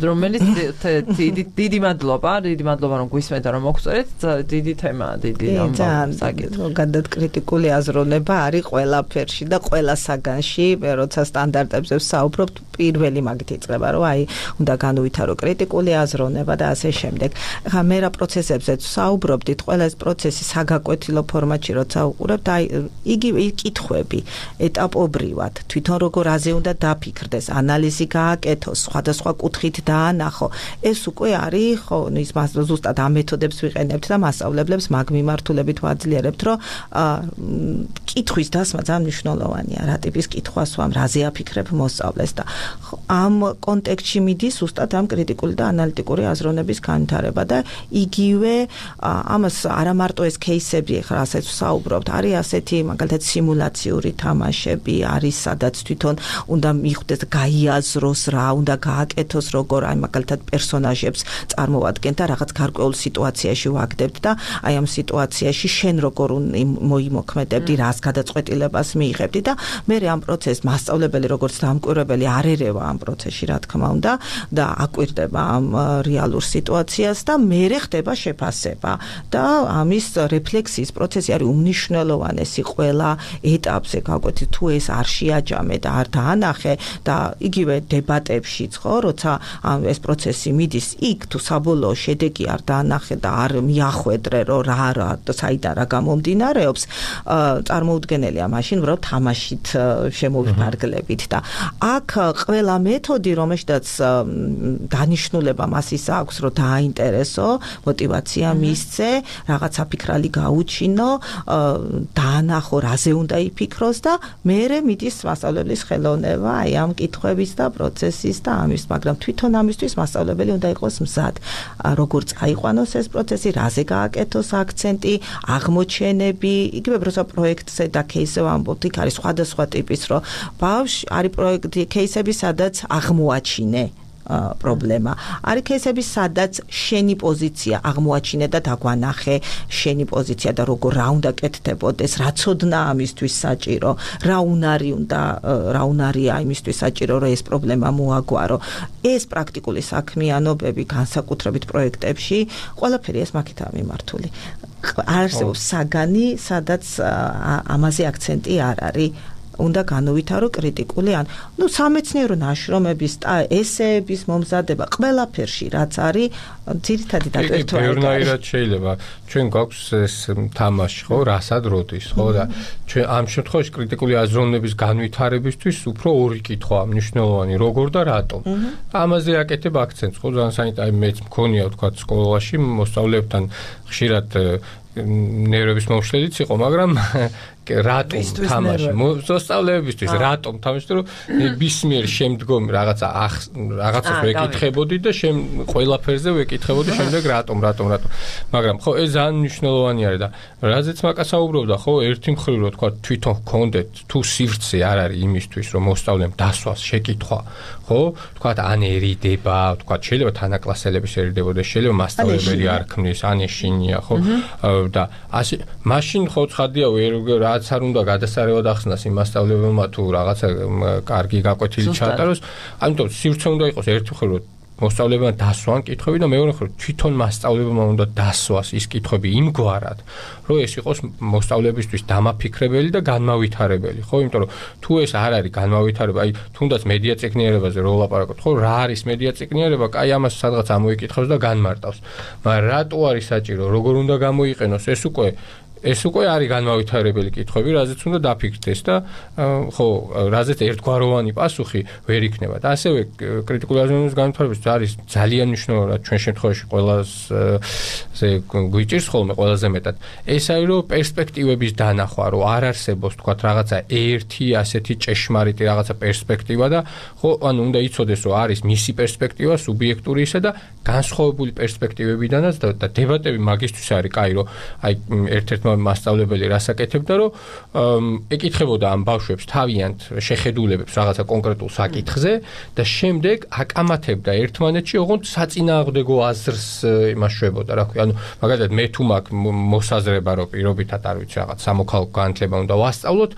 რომელიც დიდი მადლობა, დიდი მადლობა რომ გვისმენთ და რომ მოგწერეთ, დიდი თემაა, დიდი საკითხი. გადად კრიტიკული აზროვნება არის ყველაფერში და ყველა საგანში, როცა სტანდარტებზე ვსაუბრობთ, პირველი მაგით იწყება, რომ აი, უნდა განუვითარო კრიტიკული აზროვნება და ასე შემდეგ. ხა მე რა პროცესებზეც ვსაუბრობდით, ყველა ეს პროცესი საგაკვეთილო ფორმატში როცა უყურებთ, აი, იგივე კითხვები ეტაპობრივად, თვითონ როგორ აზე უნდა დაფიქრდეს, ანალიზი გააკეთოს, სხვადასხვა კუთხით დაანახო. ეს უკვე არის, ხო, ის ზუსტად ამ მეთოდებს ვიყენებთ და მასწავლებლებს მაგ მიმართულებით ვაძლიერებთ, რომ კითხვის დასმა ძალიან მნიშვნელოვანია. რა ტიპის კითხვას ვამ, რაზე აფიქრებ მოსწავლეს და ამ კონტექსტში მიდის ზუსტად ამ კრიტიკული და ანალიტიკური აზროვნების განვითარება და იგივე ამას არა მარტო ეს кейსები, ახლა ასეც ვსაუბრობთ, არის ასეთი მაგალითად სიმულაციური თამაშები, არის სადაც თვითონ უნდა მიხვდეს, გაიაზროს რა, უნდა გააკეთოს როგორ აი მაგალითად პერსონაჟებს წარმოვადგენთ და რაღაც გარკვეულ სიტუაციაში ვაგდებთ და აი ამ სიტუაციაში შენ როგორ მოიმოქმედებდი, რას გადაწყვეტილებას მიიღებდი და მე ამ პროცესს მასწავლებელი როგორც დამკვირვებელი არ ერევა ამ პროცესში რა თქმა უნდა და აკვირდება ამ რეალურ სიტუაციას და მე ხდება შეფასება და ამის რეფლექსიის პროცესი არის უმნიშვნელოვანესი ყველა ეტაპზე გაკვეთილი თუ ეს არ შეაჯამე და არ დაანახე და იგივე დებატებშიც ხო როცა ეს პროცესი მიდის იქ თუ საბოლოო შედეგი არ დაანახე და არ მიახვედრე რომ რა რა საიდან რა გამომდინარეობს წარმოუდგენელია მაშინ რომ თამაშით შემოვიფარგლებით და აქ ყველა მეთოდი რომელშიც დანიშნულება მას ის აქვს რომ დააინტერესო მოტივაცია მისცე რაღაც აფიქრალი გაუჩინო დაანახო რაზე უნდა იფიქროს და მერე მიდის მასწავლებლის ხელოვნება აი ამ კითხვების და პროცესის და ამის მაგრამ თვითონ ამისთვის მასწავლებელი უნდა იყოს მზად როგორ წაიყვანოს ეს პროცესი რაზე გააკეთოს აქცენტი აღმოჩენები იგივე როცა პროექტზე და кейსზე ვამბობთ, იქ არის სხვადასხვა ტიპის, რომ ბავშვი არის პროექტი кейსები, სადაც აღმოაჩინე პრობლემა. არის кейსები, სადაც შენი პოზიცია აღმოაჩინე და დაგვანახე შენი პოზიცია და როგორ რა უნდა კეთდებოდეს, რა ცოდნა ამისთვის საჭირო, რა უნარი უნდა, რა უნარია იმისთვის საჭირო, რომ ეს პრობლემა მოაგვარო. ეს პრაქტიკული საქმიანობები განსაკუთრებით პროექტებში, ყველაფერი ეს მაგითაა მიმართული. არსებობს საგანი, სადაც ამაზე აქცენტი არ არის. უნდა განუვითარო კრიტიკული ან ნუ სამეცნიერო ნაშრომების ესეების მომზადება ყველაფერში რაც არის ძირითადი დატვირთვა არის. ბევრნაირად შეიძლება ჩვენ გვაქვს ეს თამაში ხო რასად როდის ხო და ჩვენ ამ შემთხვევაში კრიტიკული აზროვნების განვითარებისთვის უფრო ორი კითხვაა მნიშვნელოვანი როგორ და რატომ. ამაზე აკეთებ აქცენტს ხო ძალიან საინტერესო მეც მქონია თქვა სკოლაში მოსწავლეებთან ხშირად ნერვების მომშლელიც იყო, მაგრამ რატომ თამაში მოსწავლეებისთვის რატომ თამაში რომ ბისმიერ შემდგომ რაღაცა რაღაცას ვეკითხებოდი და შემ ყველაფერზე ვეკითხებოდი შემდეგ რატომ რატომ რატომ მაგრამ ხო ეს ძალიან მნიშვნელოვანი არის და რაზეც მაკასაუბრობდა ხო ერთი მხრივ რო თქვა თვითონ გქონდეთ თუ სივრცე არ არის იმისთვის რომ მოსწავლემ დასვას შეკითხვა ხო თქვა ან ერიდება თქვა შეიძლება თანაკლასელების ერიდებოდეს შეიძლება მასწავლებელი არ ქმნის ან ეშინია ხო და ასე მაშინ ხო ცხადია რა რაც არ უნდა გადასარევად ახსნას იმ მასწავლებელმა თუ რაღაცა კარგი გაკვეთილი ჩაატაროს, ამიტომ სივრცე უნდა იყოს ერთი მხრივ რომ მოსწავლებელმა დასვან კითხვები და მეორე მხრივ თვითონ მასწავლებელმა უნდა დასვას ის კითხვები იმგვარად, რომ ეს იყოს მოსწავლებისთვის დამაფიქრებელი და განმავითარებელი, ხო? იმიტომ რომ თუ ეს არ არის განმავითარებელი, აი თუნდაც მედია წიგნიერებაზე რო ვლაპარაკობთ, ხო, რა არის მედია წიგნიერება? კაი ამას სადღაც ამოიკითხავს და განმარტავს. მაგრამ რატო არის საჭირო, როგორ უნდა გამოიყენოს, ეს უკვე ეს უკვე არის განმავითარებელი კითხვები, რაზეც უნდა დაფიქრდეს და ხო, რაზეც ერთგვაროვანი პასუხი ვერ იქნება. და ასევე კრიტიკული აზროვნების განვითარებისთვის არის ძალიან მნიშვნელოვანი, ჩვენ შემთხვევაში ყველაზე გვიჭირს ხოლმე ყველაზე მეტად. ეს არის რომ პერსპექტივების დანახვა, რომ არ არსებობს თქვათ რაღაცა ერთი ასეთი ჭეშმარიტი რაღაცა პერსპექტივა და ხო, ანუ უნდა იცოდეს, რომ არის მისი პერსპექტივა, სუბიექტური ისა და განსხვავებული პერსპექტივებიდანაც და დებატები მაგისთვის არის, კაი, რომ აი ერთ-ერთ მასწავლებელი რას აკეთებდა, რომ ეკითხებოდა ამ ბავშვებს თავიანთ შეხედულებებს რაღაცა კონკრეტულ საკითხზე და შემდეგ აკამათებდა ერთმანეთში, ოღონდ საწინააღმდეგო აზრს იმაშვებოდა, რა ქვია, ანუ მაგალითად მე თუ მაქვს მოსაზრება, რომ პირობითად არ ვიცი რაღაც სამოქალაქო განათლება უნდა ვასწავლოთ,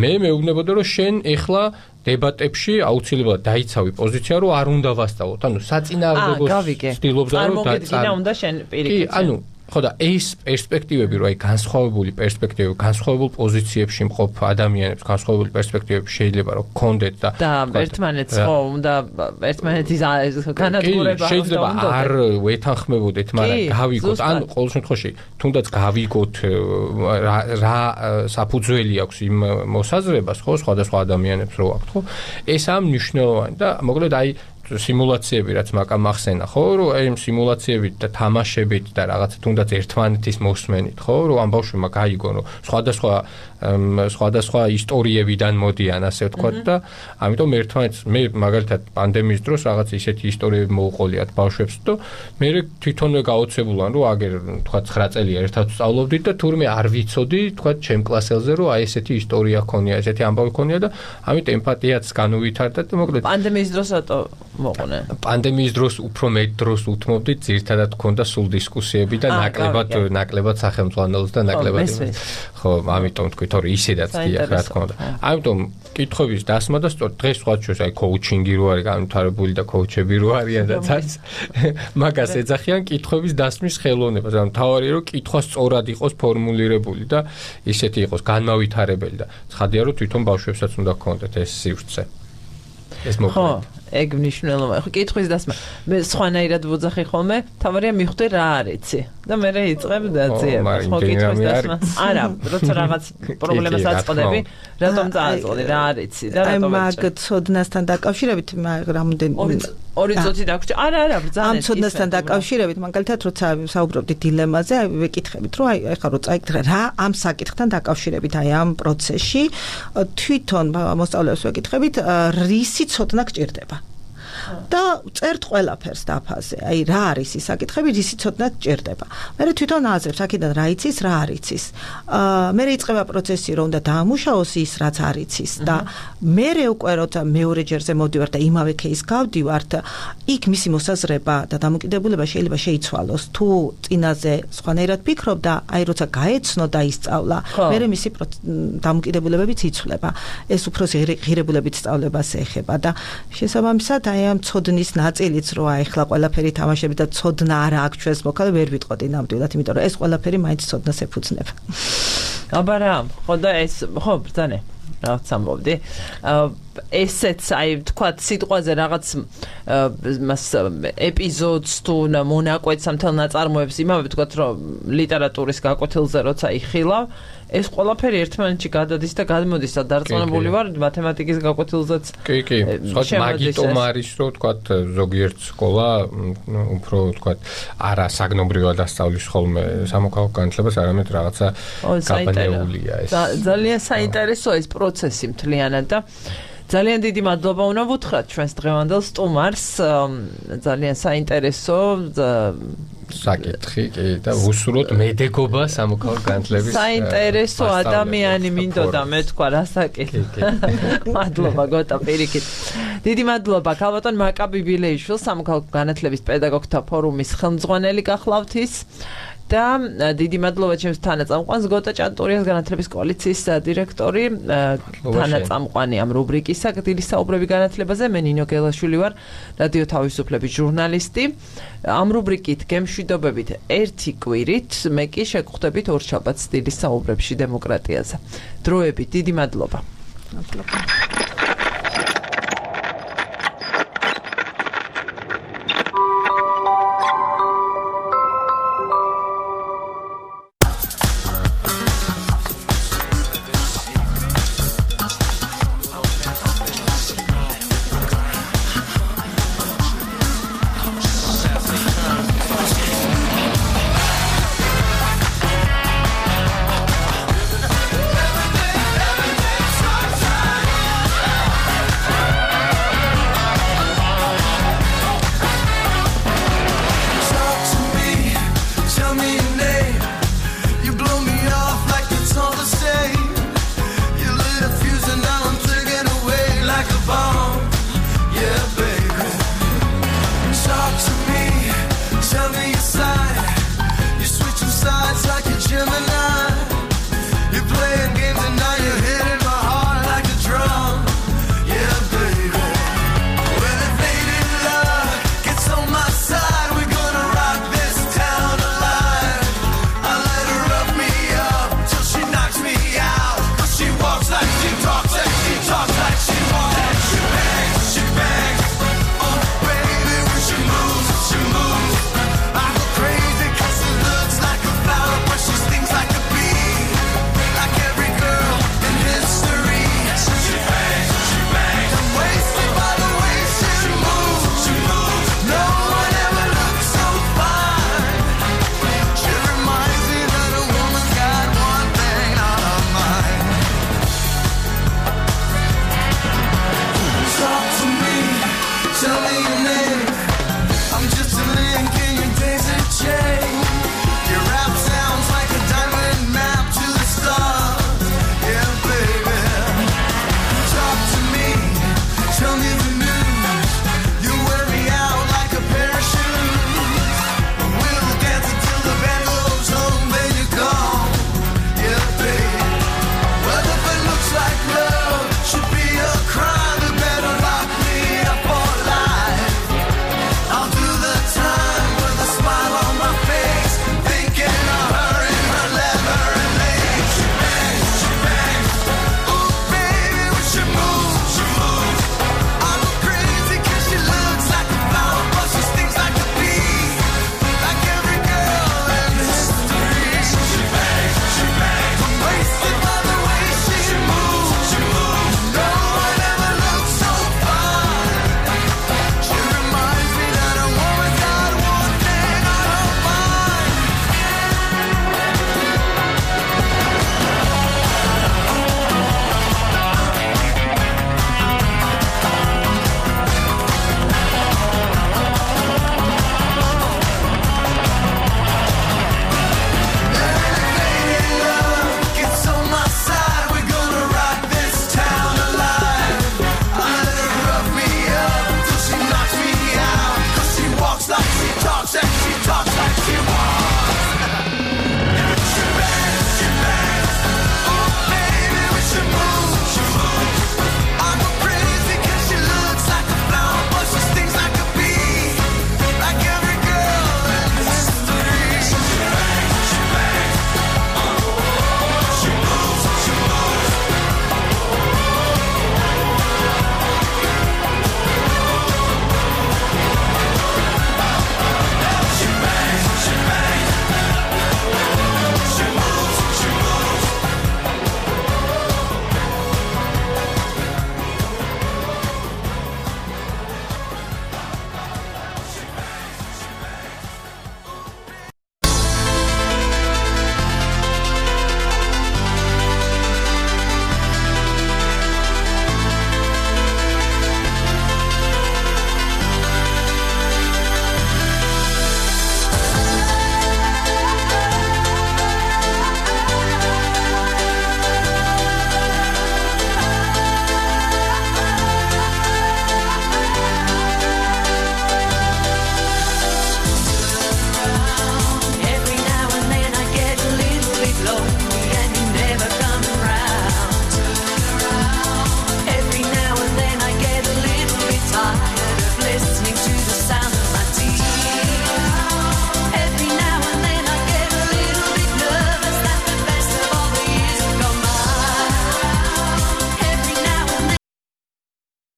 მე მეუბნებოდა, რომ შენ ეხლა დებატებში აუცილებლად დაიცავი პოზიცია, რომ არ უნდა ვასწავლოთ. ანუ საწინააღმდეგო ცდილობდა, რომ წარმოგედგინა უნდა შენ პირიქით. კი, ანუ ხო და ეს პერსპექტივები რო აი განსხვავებული პერსპექტივები, განსხვავებულ პოზიციებში მყოფ ადამიანებს, განსხვავებული პერსპექტივები შეიძლება რომ გქონდეთ და და ერთმანეთს ხო უნდა ერთმანეთის განადგურება შეიძლება არ ვეთანხმებოდეთ, მაგრამ გავიგოთ, ან ყოველ შემთხვევაში თუნდაც გავიგოთ რა საფუძველი აქვს იმ მოსაზრებას, ხო, სხვადასხვა ადამიანებს რო აქვს, ხო? ეს ამ მნიშვნელოვანი და მოკლედ აი სიმულაციები რაც მაკამ ახსენა, ხო, რომ აი სიმულაციებით და თამაშებით და რაღაც თუნდაც ერთმანეთის მოსმენით, ხო, რომ ამ ბავშვმა გაიგონ, რომ სხვადასხვა სხვადასხვა ისტორიებიდან მოდიან, ასე ვთქვათ და ამიტომ ერთმანეთს მე მაგალითად პანდემიის დროს რაღაც ისეთი ისტორიები მოუყოლიათ ბავშვებს და მე თვითონვე გაოცებულან, რომ აგერ ვთქვათ ცხრა წელია ერთად ვსწავლობდით და თურმე არ ვიცოდი, ვთქვათ ჩემ კლასელზე, რომ აი ესეთი ისტორია ქონია, ესეთი ამბავი ქონია და ამით ემპათიაც განუვითარდა და მოკლედ პანდემიის დროს რატო მოყოლე? პანდემიის დროს უფრო მეტ დროს უთმობდით, ძირითადად ქონდა სულ დისკუსიები და ნაკლებად ნაკლებად სახელმძღვანელოს და ნაკლებად ხო, ამიტომ თქვით, რომ ისედაც დიახ, რა თქმა უნდა. ამიტომ კითხვების დასმა და სწორ დღეს სხვა ჩვენს აი კოუჩინგი რო არის განვითარებული და კოუჩები რო არიან და ცაც მაგას ეძახიან კითხვების დასმის ხელოვნებას. ანუ თავარია რომ კითხვა სწორად იყოს ფორმულირებული და ისეთი იყოს განმავითარებელი და ცხადია რომ თვითონ ბავშვებსაც უნდა გქონდეთ ეს სივრცე. ეს მოკლედ ეგ მნიშვნელოვანია. ხო, კითხვის დასმა. მე სხვანაირად ვოძახი ხოლმე, თავარია მიხვდე რა არიცი. და მე რა იწყებ დაძიებას. ხო, კითხვის დასმა. არა, როცა რაღაც პრობლემას აწყდები, რატომ წააწყდი, რა არიცი და რატომ აი მაგ ცოდნასთან დაკავშირებით რამოდენ ორი წუთი დაგვრჩა. არა, არა, ბრძანეთ. ამ ცოდნასთან დაკავშირებით, მაგალითად, როცა საუბრობდით დილემაზე, აი ვეკითხებით, რომ აი ეხლა რო წაიკითხე რა ამ საკითხთან დაკავშირებით, აი ამ პროცესში თვითონ მოსწავლეებს ვეკითხებით, რისი ცოდნა გჭირდება. და წერთ ყველაფერს დაფაზე. აი რა არის ის საკითხები, ისი ცოდნად ჭირდება. მე თვითონ აზრებს, აქედან რა იცის, რა არ იცის. აა მე იწყება პროცესი, რომ უნდა დაამუშავოს ის, რაც არ იცის და მე უკვე როცა მეორე ჯერზე მოვდივარ და იმავე кейს გავდივართ, იქ მისი მოსაზრება და დამოკიდებულება შეიძლება შეიცვალოს. თუ წინაზე სხვანაირად ფიქრობ და აი როცა გაეცნო და ისწავლა, მე მისი დამოკიდებულებებიც იცვლება. ეს უფრო ღირებულებით სწავლებას ეხება და შესაბამისად აი ამ ცოდნის ნაწილიც რო აი ახლა ყველაფერი თამაშები და ცოდნა არა აქვს ჩვენს მოქალაქე ვერ ვიტყოდი ნამდვილად, იმიტომ რომ ეს ყველაფერი მაინც ცოდნას ეფუძნება. აბა რა, ხო და ეს ხო ბრძანე რაღაც ამბობდი. ესეც აი თქვათ სიტყვაზე რაღაც მას ეპიზოდს თუ მონაკვეთს ამ თელ ნაწარმოებს იმავე თქვათ რომ ლიტერატურის გაკვეთილზე როცა იხილავ ეს ყველაფერი ერთმანეთში გადადის და გადმოდის და დარწმუნებული ვარ მათემატიკის გაკვეთილზეც კი კი სხვა მაგიტომ არის რომ თქვათ ზოგიერთ სკოლა უფრო თქვათ არა საგნობრივად ასწავლის ხოლმე სამოქალაქო განათლებას არამედ რაღაცა გაბანეულია ეს ძალიან საინტერესოა ეს პროცესი მთლიანად და ძალიან დიდი მადლობა უნდა ვუთხრათ ჩვენს დღევანდელ სტუმარს ძალიან საინტერესო საკითხი კი და ვუსურვოთ მედეგობა სამოქალაქო განათლების საინტერესო ადამიანი მინდოდა მე თქვა რა საკითხი მადლობა გოტა პირიქით დიდი მადლობა ქალბატონ მაკა ბიბილეიშვილს სამოქალაქო განათლების პედაგოგთა ფორუმის ხელმძღვანელი გახლავთ ის და დიდი მადლობა ჩემს თანაწამყვანს გოტა ჭანტურიას განათლების კოალიციის დირექტორი თანაწამყვანი ამ რუბრიკისა გდილი საუბრები განათლებაზე მე ნინო გელაშვილი ვარ რადიო თავისუფლების ჟურნალისტი ამ რუბრიკით გემშვიდობებით ერთი კვირით მე კი შეგხვდებით ორ შაბათს გდილი საუბრებში დემოკრატიაზე დროებით დიდი მადლობა მადლობა